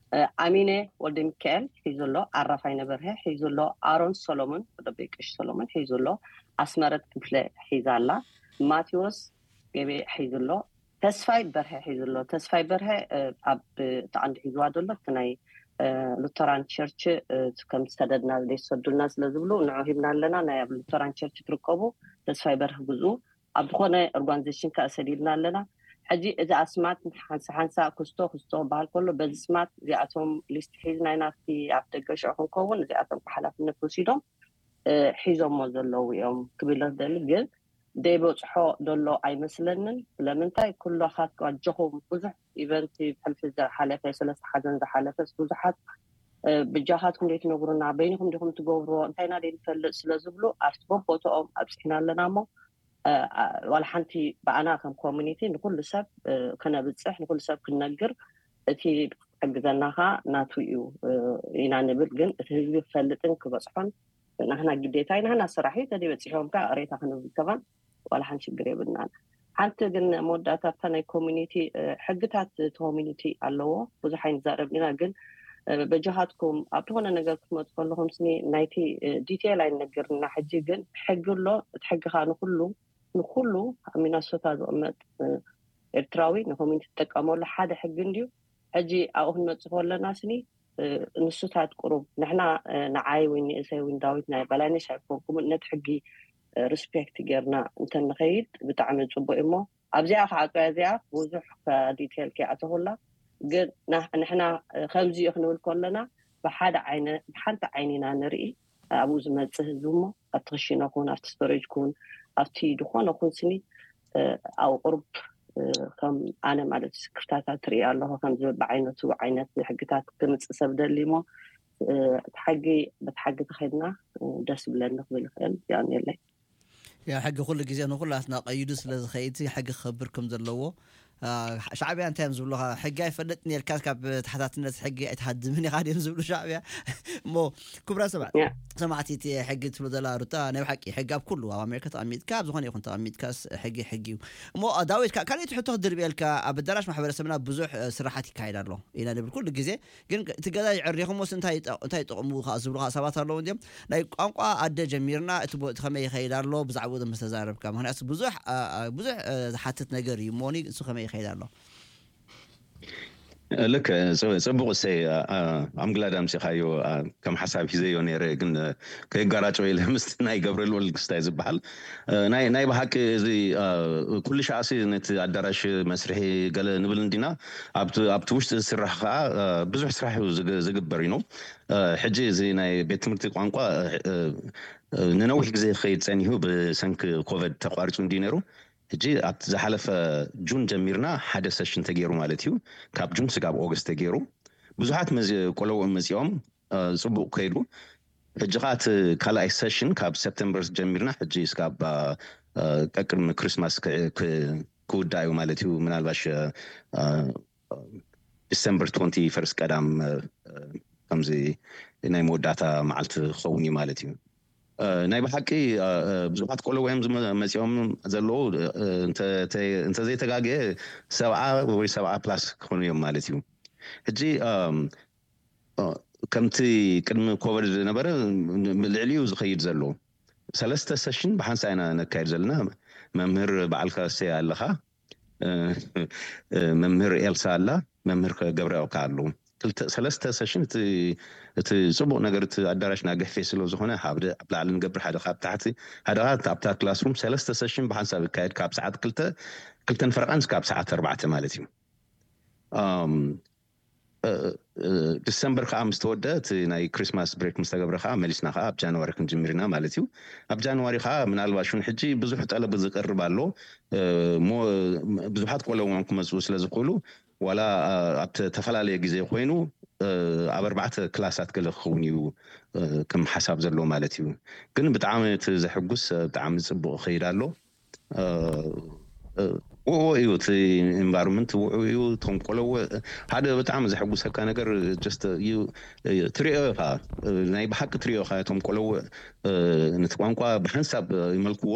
ኣሚነ ወልደ ሚካኤል ሒዙ ኣሎ ኣራፋይ ነበርሀ ሒዙ ኣሎ ኣሮን ሰሎሞን ወደበይ ቀሽ ሰሎሞን ሒዙ ኣሎ ኣስመረት ክፍለ ሒዛ ኣላ ማቴዎስ ገቤ ሒዙ ኣሎ ተስፋይ በርሀ ሒዙ ኣሎ ተስፋይ በርሀ ኣብ ተቐንዲ ሒዝዋ ዘሎ እቲ ናይ ሉተራን ቸርች ከም ዝሰደድና ዘይሰዱልና ስለ ዝብሉ ንዑ ሂብና ኣለና ናይ ኣብ ሉተራን ቸርች ትርከቡ ተስፋይ በርህ ግዝኡ ኣብ ዝኾነ ኦርጋኒዜሽን ከዓ ሰዲድና ኣለና ሕጂ እዚ ኣስማት ሓንሳ ሓንሳ ክስቶ ክስቶ ክበሃል ከሎ በዚ ስማት እዚኣቶም ሊስት ሒዝና ኢና ኣብቲ ኣብ ደገ ሽዑ ክንከውን እዚኣቶም ሓላፍነት ወሲዶም ሒዞሞ ዘለዉ እዮም ክብል ደሊ ግን ደይበፅሖ ደሎ ኣይመስለንን ስለምንታይ ኩሎኻት ኣጆኹም ብዙሕ ኢቨንት ብሕልፊ ዝሓለፈ ሰለስተ ሓዘን ዝሓለፈስ ብዙሓት ብጃኻትኩም ዘይትነግሩና በይንኹም ዲኹም ትገብርዎ እንታይና ዘይንፈልጥ ስለ ዝብሉ ኣብቲ በቦትኦም ኣብፅሕና ኣለና እሞ ዋላ ሓንቲ ብኣና ከም ኮሚኒቲ ንኩሉ ሰብ ክነብፅሕ ንኩሉ ሰብ ክንነግር እቲ ክሕግዘናኻ ናቱ እዩ ኢና ንብል ግን እቲ ህዝቢ ክፈልጥን ክበፅሖን ናህና ግዴታ እዩ ናህና ስራሕ እዩ ተደይ በፂሖም ከዓ ቅሬታ ክንብል ከማን ዋላ ሓንቲ ሽግር የብልናን ሓንቲ ግን መወዳእታ ኣብታ ናይ ኮሚኒቲ ሕግታት እቲ ኮሚኒቲ ኣለዎ ብዙሕ ኣይንዛረብ ኢና ግን በጃኻትኩም ኣብ ዝኾነ ነገር ክትመፁ ከለኹም ስኒ ናይቲ ዲቴል ኣይንነግርና ሕጂ ግን ሕጊ ኣሎ እቲ ሕጊ ከዓ ንኩሉ ንኩሉ ኣብ ሚናሶታ ዝቕመጥ ኤርትራዊ ንኮሚኒቲ ትጥቀመሉ ሓደ ሕጊ እንድዩ ሕጂ ኣብኡ ክንመፅእ ከለና ስኒ ንሱታት ቁሩብ ንሕና ንዓይ ወይ ንእሰይ ወይ ዳዊት ናይ በላይነሽ ኣይኮንኩም ነቲ ሕጊ ሪስፔክት ጌርና እንተንኸይድ ብጣዕሚ ፅቡቅ እሞ ኣብዚኣ ከዓ እዚኣ ብዙሕ ዲቴል ከይኣተኹላ ግን ንሕና ከምዚ እዩ ክንብል ከለና ብሓደ ዓይነት ብሓንቲ ዓይኒና ንርኢ ኣብኡ ዝመፅእ ህዝቢ እሞ ኣብቲ ክሽነ ኩን ኣብቲ ስቶሬጅ ኩን ኣብቲ ዝኾነ ኩን ስኒ ኣብ ቁሩብ ከም ኣነ ማለት ስክፍታታት ትርኢ ኣለኹ ከም ዝብል ብዓይነቱ ዓይነት ሕግታት ክምፅእ ሰብ ደሊ እሞ እቲ ሓጊ በቲ ሓጊ ተኸድና ደስ ብለኒ ክብል ይኽእል ያን የለይ ያ ሕጊ ኩሉ ግዜ ንኩላትና ቀይዱ ስለ ዝኸይድ ሕጊ ክኸብር ከም ዘለዎ ሻዕብያ እንታይ እዮም ዝብሉኻ? ሕጊ ኣይፈልጥን ኢልካ ካብ ተሓታትነት ሕጊ ኣይትሃድምን ኢኻ ድዮም ዝብሉ ሻዕብያ? እሞ ክቡራ ሰባት፣ ሰማዕቲ፣ እቲ ሕጊ ትብሉ ዘላ ሩታ ናይ ብሓቂ ሕጊ ኣብ ኩሉ ኣብ ኣሜሪካ ተቐሚጥካ ኣብ ዝኾነ ይኹን ተቐሚጥካስ ሕጊ ሕጊ እዩ። እሞ ዳዊት፣ ካልእ ሕቶ ክድርብየልካ፣ ኣብ ኣዳራሽ ማሕበረሰብና ብዙሕ ስራሓት ይካየድ ኣሎ ኢና ንብል ኩሉ ግዜ። ግን እቲ ገዛ ይዕሪኹሞስ እንታይ ይጠቕሙ ዝብሉ ሰባት ኣለዉ እንዲም። ናይ ቋንቋ ኣደ ጀሚርና፣ እቲ ከመይ ይኸይድ ኣሎ ብዛዕባኡ ምስ ተዛረብካ፣ ምክንያቱ ብዙሕ ብዙሕ ዝሓትት ነገር እዩ እሞኒ። እሱ ከመይ ይኸይድ ኣሎ? ልክ ጽቡቕ እሰይ። ኣምግላድ ኣምሲኻዮ። ከም ሓሳብ ሒዘዮ ነይረ፣ ግን ከይጋራጨው ኢለ ምስ ናይ ገብረልወል ክስታይ ዝበሃል። ናይ ብሓቂ እዚ ኩሉ ሻዕሲ ነቲ ኣዳራሽ መስርሒ ገለ ንብል እንዲና፣ ኣብቲ ውሽጢ ዝስራሕ ከዓ ብዙሕ ስራሕ እዩ ዝግበር እዩ። ሕጂ እዚ ናይ ቤት ትምህርቲ ቋንቋ ንነዊሕ ግዜ ክኸይድ ጸኒሑ ብሰንኪ ኮቨድ ተቋሪጹ እንዲ ነይሩ። ሕጂ ኣብቲ ዝሓለፈ ጁን ጀሚርና ሓደ ሰሽን ተገይሩ ማለት እዩ። ካብ ጁን ስጋብ ኦገስት ተገይሩ። ብዙሓት ቆለውኦም መፂኦም፣ ፅቡቅ ከይዱ። ሕጂ ከዓ እቲ ካልኣይ ሰሽን ካብ ሰፕተምበር ጀሚርና ሕጂ ስጋብ ቀቅድሚ ክሪስማስ ክውዳእ እዩ ማለት እዩ። ምናልባሽ ዲሰምበር ትወንቲ ፈርስት ቀዳም ከምዚ ናይ መወዳእታ መዓልቲ ክኸውን እዩ ማለት እዩ። ናይ ብሓቂ ብዙሓት ቆለውኦም መፂኦም ዘለዉ፣ እንተዘይተጋግየ ሰብዓ ወይ ሰብዓ ፕላስ ክኾኑ እዮም ማለት እዩ። ሕጂ ከምቲ ቅድሚ ኮቨድ ዝነበረ ልዕሊኡ ዝኸይድ ዘሎ ሰለስተ ሰሽን ብሓንሳ ኢና ነካይድ ዘለና። መምህር በዓልካ እሰይ ኣለኻ፣ መምህር ኤልሳ ኣላ፣ መምህር ገብረ ከኣ ኣለዉ። ሰለስተ ሰሽን እቲ ፅቡቅ ነገር እቲ ኣዳራሽና ገፊሕ ስለ ዝኾነ ሓደ ኣብ ላዕሊ ንገብር፣ ሓደ ካብ ታሕቲ፣ ሓደ ኣብታ ክላስሩም ሰለስተ ሰሽን ብሓንሳብ ይካየድ ካብ ሰዓት ክልተ ክልተን ፈረቃን ካብ ሰዓት ኣርባዕተ ማለት እዩ። ዲሰምበር ከዓ ምስ ተወደ እቲ ናይ ክሪስማስ ብሬክ ምስ ተገብረ ከዓ መሊስና ከዓ ኣብ ጃንዋሪ ክንጅምር ኢና ማለት እዩ። ኣብ ጃንዋሪ ከዓ ምናልባሽ እውን ሕጂ ብዙሕ ጠለብ ዝቀርብ ኣሎ። ብዙሓት ቆለውኦም ክመፅኡ ስለ ዝኽእሉ ዋላ ኣብ ዝተፈላለየ ግዜ ኮይኑ ኣብ ኣርባዕተ ክላሳት ገለ ክኸውን እዩ ከም ሓሳብ ዘሎ ማለት እዩ። ግን ብጣዕሚ እቲ ዘሕጉስ ብጣዕሚ ፅቡቅ ይኸይድ ኣሎ። ውዕዎ እዩ እቲ ኤንቫይሮንመንት ውዕው እዩ። እቶም ቆለውዕ ሓደ ብጣዕሚ ዘሐጉሰካ ነገር ትሪኦ ኢኻ፣ ናይ ብሓቂ ትሪኦ ኢኻ። እቶም ቆለውዕ ነቲ ቋንቋ ብሓንሳብ ይመልክዎ።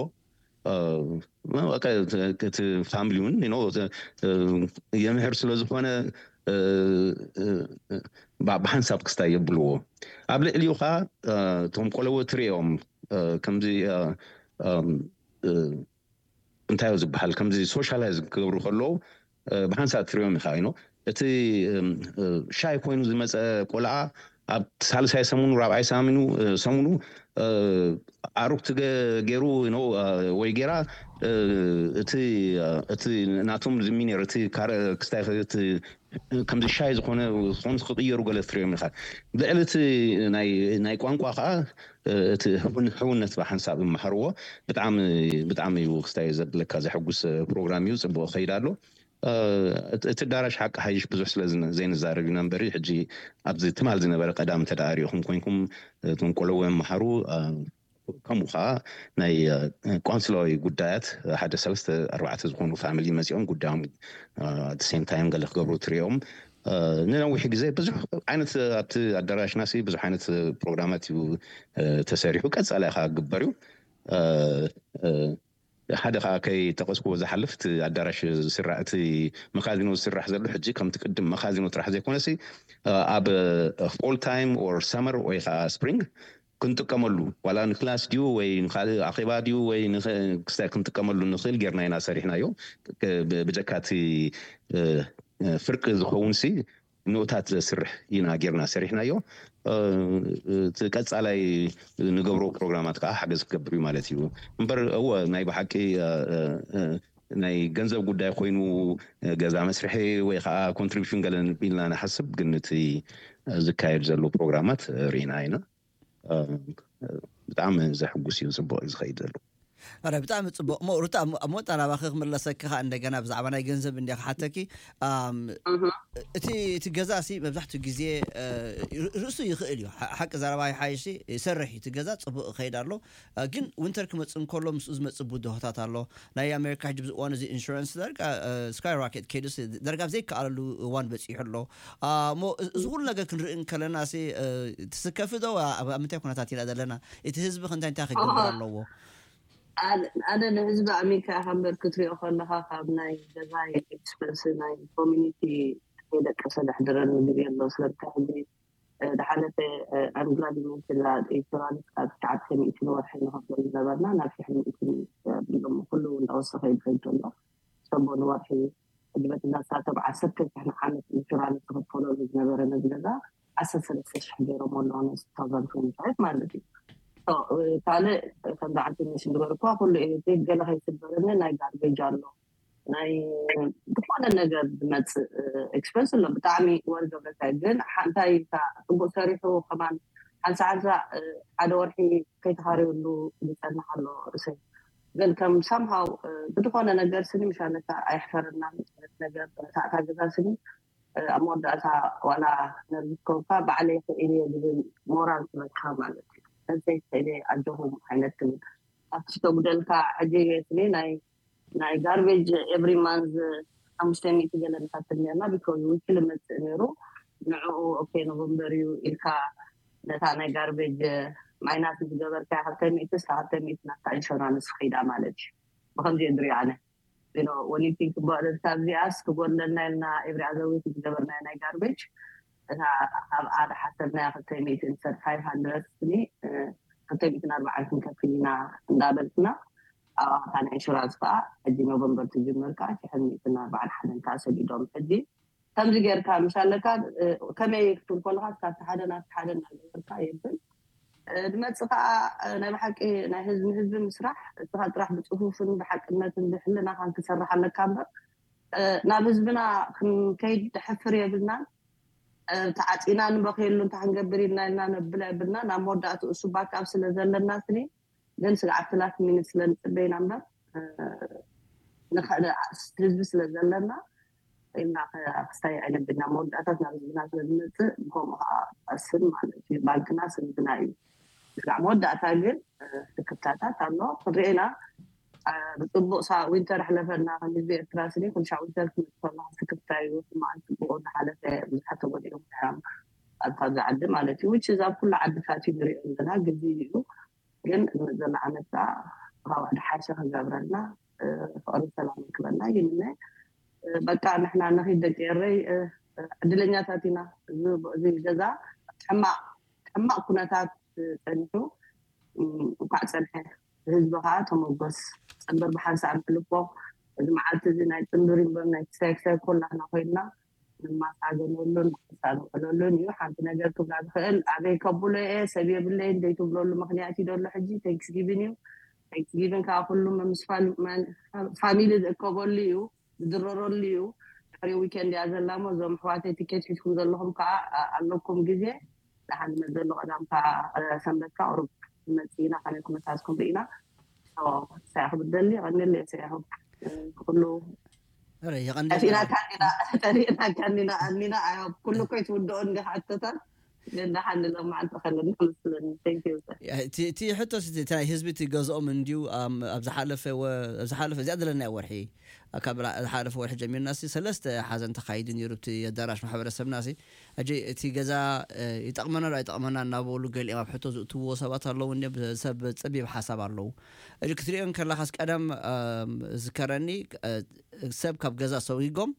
እቲ ፋሚሊ እውን የምህር ስለ ዝኾነ ብሓንሳብ ክስታይ የብልዎ። ኣብ ልዕሊኡ ከዓ እቶም ቆለውዕ ትሪኦም ከምዚ እንታይ ዝበሃል ከምዚ ሶሻላይዝ ክገብሩ ከለዉ ብሓንሳብ ትሪኦም ኢኻ። እቲ ሻይ ኮይኑ ዝመፀ ቆልዓ ኣብ ሳልሳይ ሰሙኑ ራብዓይ ሳሙኑ ሰሙኑ ኣሩግቲ ገይሩ ወይ ገይራ እቲ ናቶም ዝሚኔር እቲ ክስታይ ከምዚ ሻይ ዝኾነ ዝኾኑ ክቅየሩ ገለ ትሪኦም ኢኻ። ልዕሊ እቲ ናይ ቋንቋ ከዓ እቲ ሕውነት ብሓንሳብ ይመሃርዎ። ብጣዕሚ ብጣዕሚ እዩ ክስታይ ዘብለካ ዘሐጉስ ፕሮግራም እዩ። ፅቡቅ ከይድ ኣሎ። እቲ ኣዳራሽ ሓቂ ሓይሽ ብዙሕ ስለ ዘይንዛረብ ኢና እምበሪ ሕጂ ኣብዚ ትማል ዝነበረ ቀዳም እንተ ሪኢኹም ኮይንኩም እቶም ቆለውዕ ይመሃሩ። ከምኡ ከዓ ናይ ቆንስላዊ ጉዳያት ሓደ ሰለስተ ኣርባዕተ ዝኾኑ ፋሚሊ መፂኦም ጉዳዮም ሴም ታይም ገለ ክገብሩ ትሪኦም። ንነዊሕ ግዜ ብዙሕ ዓይነት ኣብቲ ኣዳራሽና ሲ ብዙሕ ዓይነት ፕሮግራማት እዩ ተሰሪሑ፣ ቀፃላይ ከዓ ክግበር እዩ። ሓደ ከዓ ከይጠቀስኩዎ ዝሓልፍ እቲ ኣዳራሽ ዝስራሕ እቲ መካዚኖ ዝስራሕ ዘሎ ሕጂ ከምቲ ቅድም መካዚኖ ጥራሕ ዘይኮነሲ ኣብ ፎል ታይም ኦር ሰመር ወይ ከዓ ስፕሪንግ ክንጥቀመሉ ዋላ ንክላስ ድዩ ወይ ንካልእ ኣኼባ ድዩ ወይ ክስታይ ክንጥቀመሉ ንኽእል ጌርና ኢና ሰሪሕናዮ። ብጀካ እቲ ፍርቂ ዝኸውን ሲ ንኡታት ዘስርሕ ኢና ጌርና ሰሪሕናዮ። እቲ ቀፃላይ ንገብሮ ፕሮግራማት ከዓ ሓገዝ ክገብር እዩ ማለት እዩ። እምበር እወ ናይ ብሓቂ ናይ ገንዘብ ጉዳይ ኮይኑ ገዛ መስርሒ ወይ ከዓ ኮንትሪቢሽን ገለ ኢልና ንሓስብ፣ ግን እቲ ዝካየድ ዘሎ ፕሮግራማት ርኢና ኢና። ብጣዕሚ ዘሕጉስ እዩ፣ ፅቡቅ እዩ ዝኸይድ ዘሎ። ኣረ ብጣዕሚ ጽቡቕ። እሞ ሩታ፣ ኣብ ሞጣ ናባኺ ክምለሰኪ ኸኣ እንደገና ብዛዕባ ናይ ገንዘብ እንደ ክሓተኪ። ኣም፣ እህ። እቲ እቲ ገዛ ሲ መብዛሕትኡ ግዜ እ፣ ር- ርእሱ ይኽእል እዩ። ሓ- ሓቂ ዘረባ ይሓይሽ ሲ ይሰርሕ እዩ። እቲ ገዛ ጽቡቕ ይኸይድ ኣሎ። እ፣ ግን ዊንተር ክመጽእ እንከሎ ምስኡ ዝመጽእ ብድሆታት ኣሎ። ናይ ኣሜሪካ ሕጂ ብዚ እዋን እዚ ኢንሹራንስ ዳርጋ ስካይ ራኬት ከይዱ ሲ ዳርጋ ኣብ ዘይከኣለሉ እዋን በጺሑ ኣሎ። እ፣ እሞ እዚ ኩሉ ነገር ክንርኢ እንከለና ሲ እ፣ ትስከፊ ዶ? ኣብ ኣብ ምንታይ ኩነታት ኢና ዘለና? እቲ ህዝቢ ከ እንታይ እንታይ ክገብር ኣለዎ? ኣነ ኣነ ንህዝቢ ኣሜሪካ ኢኻ እምበር ክትሪኦ ከለኻ ካብ ናይ ገዛይ ኤክስፐንስ ናይ ኮሚኒቲ ከይደቀሰ ዘሕድረኒ ግዜ ኣሎ። ስለምንታይ ሕጂ እ፣ ዝሓለፈ ኣምግላድ መንስላ ኢንሹራንስ ካብ ትሽዓተ ሚእቲ ንወርሒ ንኸፍሎ ዝነበርና ናብ ሽሕ ሚእቲ እ፣ ብሎም ኩሉ እንዳወሰኸ ይኸይድ ዘሎ። ሰቦ ንወርሒ ሕጂ በቲ ናሳቶም ዓሰርተ ሽሕ ንዓመት ኢንሹራንስ ዝኸፈለሉ ዝነበረ ነዚ ገዛ ዓሰርተ ሰለስተ ሽሕ ገይሮም ኣለዉ ነዚ two thousand twenty-five ማለት እዩ። ካልእ ከምዚ ዓንተ ሜሽን ዝበልኩዋ ኩሉ ኤሌክትሪክ ገለ ከይስበረኒ ናይ ጋርቤጅ ኣሎ ናይ ዝኾነ ነገር ዝመፅእ ኤክስፐንስ ኣሎ። ብጣዕሚ ወር ገብረታይ ግን ሓንታይ ኢልካ ፅቡቅ ሰሪሑ ከማን ሓንሳ ሓንሳ ሓደ ወርሒ ከይተኻረየሉ ዝፀንሕ ኣሎ ርእሰይ ግን ከም ሳምሃው ብዝኾነ ነገር ስኒ ምሻነካ ኣየሕፈረናን ነገር በረታዕታ ገዛ ስኒ ኣብ መወዳእታ ዋላ ነርዝከውካ ባዕለይ ክእል እየ ዝብል ሞራል ትበካ ማለት እዩ። ነብሰይ ክእል እየ ኣጆኹም ዓይነት ትብል ኣብቲ ተጉደልካ ሕጂ ስኒ ናይ ናይ ጋርቤጅ ኤቭሪ ማንዝ ሓሙሽተ ሚእቲ ገለ ንኸፍል ነርና ቢኮዝ ዊክሊ መፅእ ነይሩ ንዕኡ ኦኬ ኖቨምበር እዩ ኢልካ ነታ ናይ ጋርቤጅ ማይናስ ዝገበርካ ክልተ ሚእቲ እስካ ክልተ ሚእቲ ናታ ኢንሹራንስ ኸይዳ ማለት እዩ ብከምዚ እየ ዝሪኦ ኣነ ወኒቲንክ በእለት ካብዚኣስ ክጎድለና ኢልና ኤቭሪ ኣዘር ዊክ ዝገበርናዮ ናይ ጋርቤጅ እታ ኣብኣ ዝሓሰብናያ ክልተ ሚእቲ እንሰር ፋይቭ ሃንድረድ ስኒ ክልተ ሚእትን ኣርባዓን ክንከፍል ኢና እንዳበልክና ኣብታ ናይ ኢንሹራንስ ከዓ ሕጂ ኖቨምበር ትጅምር ከዓ ሽሕን ሚእትን ኣርባዓን ሓደን ከዓ ሰዲዶም ሕጂ ከምዚ ጌርካ ምሽ ኣለካ ከመይ ክትብል ከለካ ካብቲ ሓደ ናብቲ ሓደ እናገበርካ የብል ዝመፅእ ከዓ ናይ ብሓቂ ናይ ህዝቢ ህዝቢ ምስራሕ እስኻ ጥራሕ ብፅፉፍን ብሓቅነትን ብሕልናኻን ክሰርሕ ኣለካ እምበር ናብ ህዝብና ክንከይድ ደሕፍር የብልናን ተዓፂና ንበክየሉ እንታይ ክንገብር ኢልና ኢልና ነብላ የብልና ናብ መወዳእትኡ እሱ ባካብ ስለ ዘለና ስኒ ግን ስግዓት ላስት ሚኒት ስለ ንፅበ ኢና እምበር ንኽእል ህዝቢ ስለ ዘለና ኢልና ክስታይ ኣይነብልና መወዳእታት ናብ ህዝብና ስለ ዝመፅእ ብከምኡ ከዓ ቀስን ማለት እዩ ባንክና ስንብና እዩ ስጋዕ መወዳእታ ግን ስክፍታታት ኣሎ ክንሪኤና ብፅቡቅ ሳ ዊንተር ኣሕለፈና ከም ህዝቢ ኤርትራ ስኒ ኩልሻ ዊንተር ክመፅእ ከሎ ስክፍታ እዩ ሕማቅን ፅቡቅ እናሓለፈ ብዙሓት ተጎዲኦም እዮም ኣብ ካብዚ ዓዲ ማለት እዩ which is ኣብ ኩሉ ዓድታት እዩ ንሪኦ ዘለና ግዚ እዩ ግን ዘሎ ዓመት ከዓ ካብ ሓደ ሓሸ ክገብረልና ፍቅርን ሰላም ክበልና ይምነ በቃ ንሕና ንኺድ ደቂ ኤረይ ዕድለኛታት ኢና እዚ ገዛ ሕማቅ ሕማቅ ኩነታት ፀኒሑ እንኳዕ ፀንሐ ህዝቢ ከዓ ተመጎስ ፀንበር ብሓንሳእ ንሕልፎ እዚ መዓልቲ እዚ ናይ ፅንብር እምበር ናይ ክሳይ ክሳይ ኮላህና ኮይንና ንማሳገነሉን ንክሳንቅለሉን እዩ ሓንቲ ነገር ክብላ ዝኽእል ኣበይ ከብሎ እየ ሰብ የብለይን ዘይትብለሉ ምክንያት እዩ ደሎ ሕጂ ቴንክስጊቪን እዩ ቴንክስጊቪን ከዓ ኩሉ ምስ ፋሚሊ ዝእከበሉ እዩ ዝድረረሉ እዩ ድሕሪ ዊኬንድ እያ ዘላ ሞ እዞም ኣሕዋተይ ቲኬት ሒዝኩም ዘለኹም ከዓ ኣለኩም ግዜ ደሓን መዘሎ ቀዳምካ ሰንበት ከዓ ቁሩብ ንመፅእ ኢና ከመይ ኩነታትኩም ርኢና ሰያ ክብደሊ የቐንየሉ እየ ሰያ ክብ ኩሉ ኧረ ጠፊእና የቐንየልና ካኒና ጠሪእና ካኒና ኣኒና ኣዮ ኩሉ እኮ ይትውድኦ እንዲ ሓተታት ግን ደሓን ንሎም መዓልቲ ከለና መስለኒ thank you sir እቲ እቲ ሕቶስ እቲ እቲ ናይ ህዝቢ እቲ ገዝኦም እንድዩ ኣም- ኣብ ዝሓለፈ ወ- ኣብ ዝሓለፈ እዚኣ ዘለናዮ ወርሒ ካብ ላ- ዝሓለፈ ወርሒ ጀሚርና ሲ ሰለስተ ሓዘን ተኻይዱ ነይሩ እቲ ኣዳራሽ ማሕበረሰብና ሲ ሕጂ እቲ ገዛ እ፣ ይጠቕመና ዶ ኣይጠቕመና እናበሉ ገሊኦም ኣብ ሕቶ ዝእትውዎ ሰባት ኣለዉ እንዲዮም ሰብ ፀቢብ ሓሳብ ኣለዉ ሕጂ ክትሪኦ እንከለኻስ ቀደም ኣም፣ ዝከረኒ እ፣ ሰብ ካብ ገዛ ሰዊጎም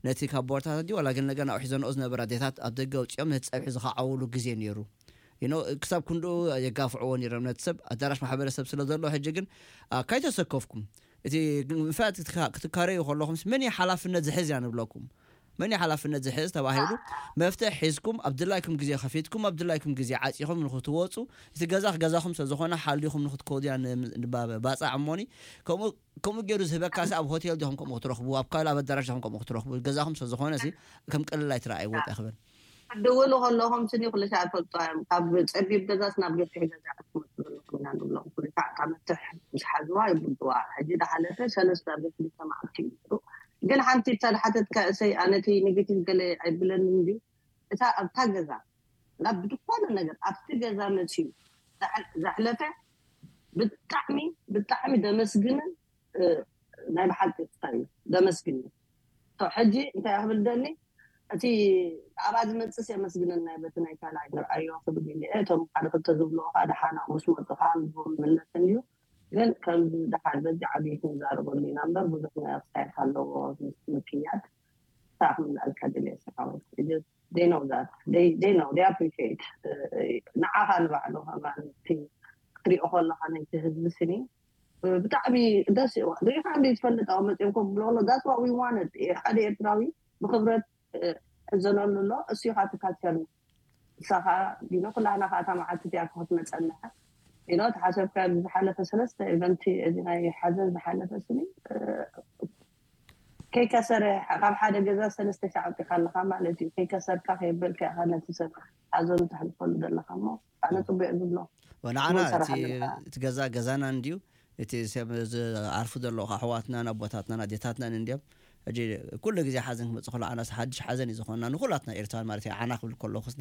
ነቲ ካብ ቦርታት ኣዲ ዋላ ግን ነገር ናብሒ ዘንኦ ዝነበረ ኣዴታት ኣብ ደገ ኣውፅኦም ነቲ ፀብሒ ዝኸዓውሉ ግዜ ነይሩ ይኖ ክሳብ ክንድኡ የጋፍዕዎ ነይሮም ነቲ ሰብ ኣዳራሽ ማሕበረሰብ ስለ ዘሎ ሕጂ ግን አ፣ ካይተሰከፍኩም እቲ ግን ብፍላይ ክትካ- ክትካረዩ ከለኹም መን እዩ ሓላፍነት ዝሕዝ ኢና ንብለኩም መን እዩ ሓላፍነት ዝሕዝ ተባሂሉ መፍትሒ ሒዝኩም ኣብ ድላይኩም ግዜ ከፊትኩም ኣብ ድላይኩም ግዜ ዓፂኹም ንክትወፁ እቲ ገዛ ገዛኹም ስለ ዝኾነ ሓሊኹም ንክትከዱ ኢና ን- ንባ- ባፃዕ እሞኒ ከምኡ ከምኡ ገይሩ ዝህበካ ሲ ኣብ ሆቴል ዲኹም ከምኡ ክትረኽቡ ኣብ ካልእ ኣብ ኣዳራሽ ዲኹም ከምኡ ክትረኽቡ ገዛኹም ስለ ዝኾነ ሲ ከም ቀልል ኣይትረኣይዎ እንታይ ክብል ክትድውሉ ከለኹም ስኒ ኩሉ ሻዕ ፈልጦ እዮም ካብ ፀቢብ ገዛስ ናብ ገፊሕ ገዛ ክትመፁ ዘለኹም ኢና ንብሎም። ክልተ ዓመት ምስ ሓዝዋ ይብልዋ። ሕጂ ዝሓለፈ ሰለስተ ኣብ ክልተ መዓልቲ እዩ ነይሩ። ግን ሓንቲ እታ ዝሓተትካ እሰይ፣ ኣነ እቲ ኔጌቲቭ ገለ ኣይብለንን እንድዩ። እታ ኣብታ ገዛ ናብ ብዝኾነ ነገር ኣብቲ ገዛ መፅዩ ዘሕለፈ ብጣዕሚ ብጣዕሚ ደመስግንን ናይ ብሓቂ እዩ። ደመስግን። ሕጂ እንታይ ክብል ደሊ፣ እቲ ኣብኣ ዝመፅስ የመስግነና በቲ ናይ ካልኣይ ንርኣዮ ክብል እየ። እቶም ሓደ ክልተ ዝብልዎ ከዓ ደሓና ምስ መፁ ከዓ ምግቦም ይምለስ እንድዩ። ግን ከምዚ ደሓን በዚ ዓብይቲ ንዛረበሉ ኢና እምበር ብዙሕ ናይ ኣክሳይት ኣለዎ ምስ ምክያድ። ሳብ ክምልኣልካ ደልየ ሰሓወት they know that they they know they appreciate ንዓኻ ንባዕሉ ከማን እቲ ክትሪኦ ከለካ ነቲ ህዝቢ ስኒ ብጣዕሚ ደስ ይዋ ሪኻ እንደ ዝፈልጥ ኣብ መፅኦም ኮ ብሎ ኣሎ that's what we wanted ሓደ ኤርትራዊ ብክብረት ሕዘነሉ ኣሎ እሱ ኢኻ ትካቸር ንሳኻ ዲኖ ኩላህና ከዓ እታ መዓልቲ እቲኣ ክትመፀና ኢኖ ተሓሰብካ ዝሓለፈ ሰለስተ ኢቨንቲ እዚ ናይ ሓዘን ዝሓለፈ ስኒ ከይከሰረ ካብ ሓደ ገዛ ሰለስተ ሻዕ ኣውፂኻ ኣለካ ማለት እዩ። ከይከሰርካ ከየበልካ ኢኻ ነቲ ሰብ ሓዘኑ ተሕልፈሉ ዘለካ እሞ ኣነ ፅቡቅ ዝብሎ። ንዓና እቲ ገዛ ገዛና እንድዩ። እቲ ዝዓርፉ ዘለዉ ኣሕዋትናን ኣቦታትናን ኣዴታትናን እንድዮም። ሕጂ ኩሉ ግዜ ሓዘን ክመፅእ ከሎ ዓናስ ሓድሽ ሓዘን እዩ ዝኾንና ንኩላትና ኤርትራን ማለት እዩ። ዓና ክብል ከለኹስ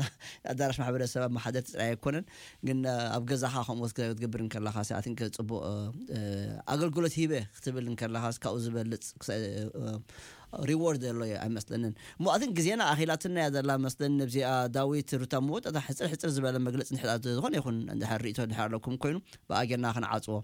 ኣዳራሽ ማሕበረሰብ ኣብ ማሓደርቲ ጥራይ ኣይኮነን፣ ግን ኣብ ገዛኻ ከምኡ ክትገብር እንከለኻ ኣቲንክ ፅቡቅ ኣገልግሎት ሂበ ክትብል እንከለኻስ ካብኡ ዝበልፅ ሪዎርድ ዘሎ እዩ ኣይመስለንን። እሞ ኣቲንክ ግዜና ኣኺላትና እያ ዘላ መስለኒ። ነብዚኣ ዳዊት ሩታ መወዳእታ ሕፅር ሕፅር ዝበለ መግለፂ እንድሕር ዝኾነ ይኹን እንድሕር ርእይቶ እንድሕር ኣለኩም ኮይኑ ብኣጌና ክንዓፅዎ።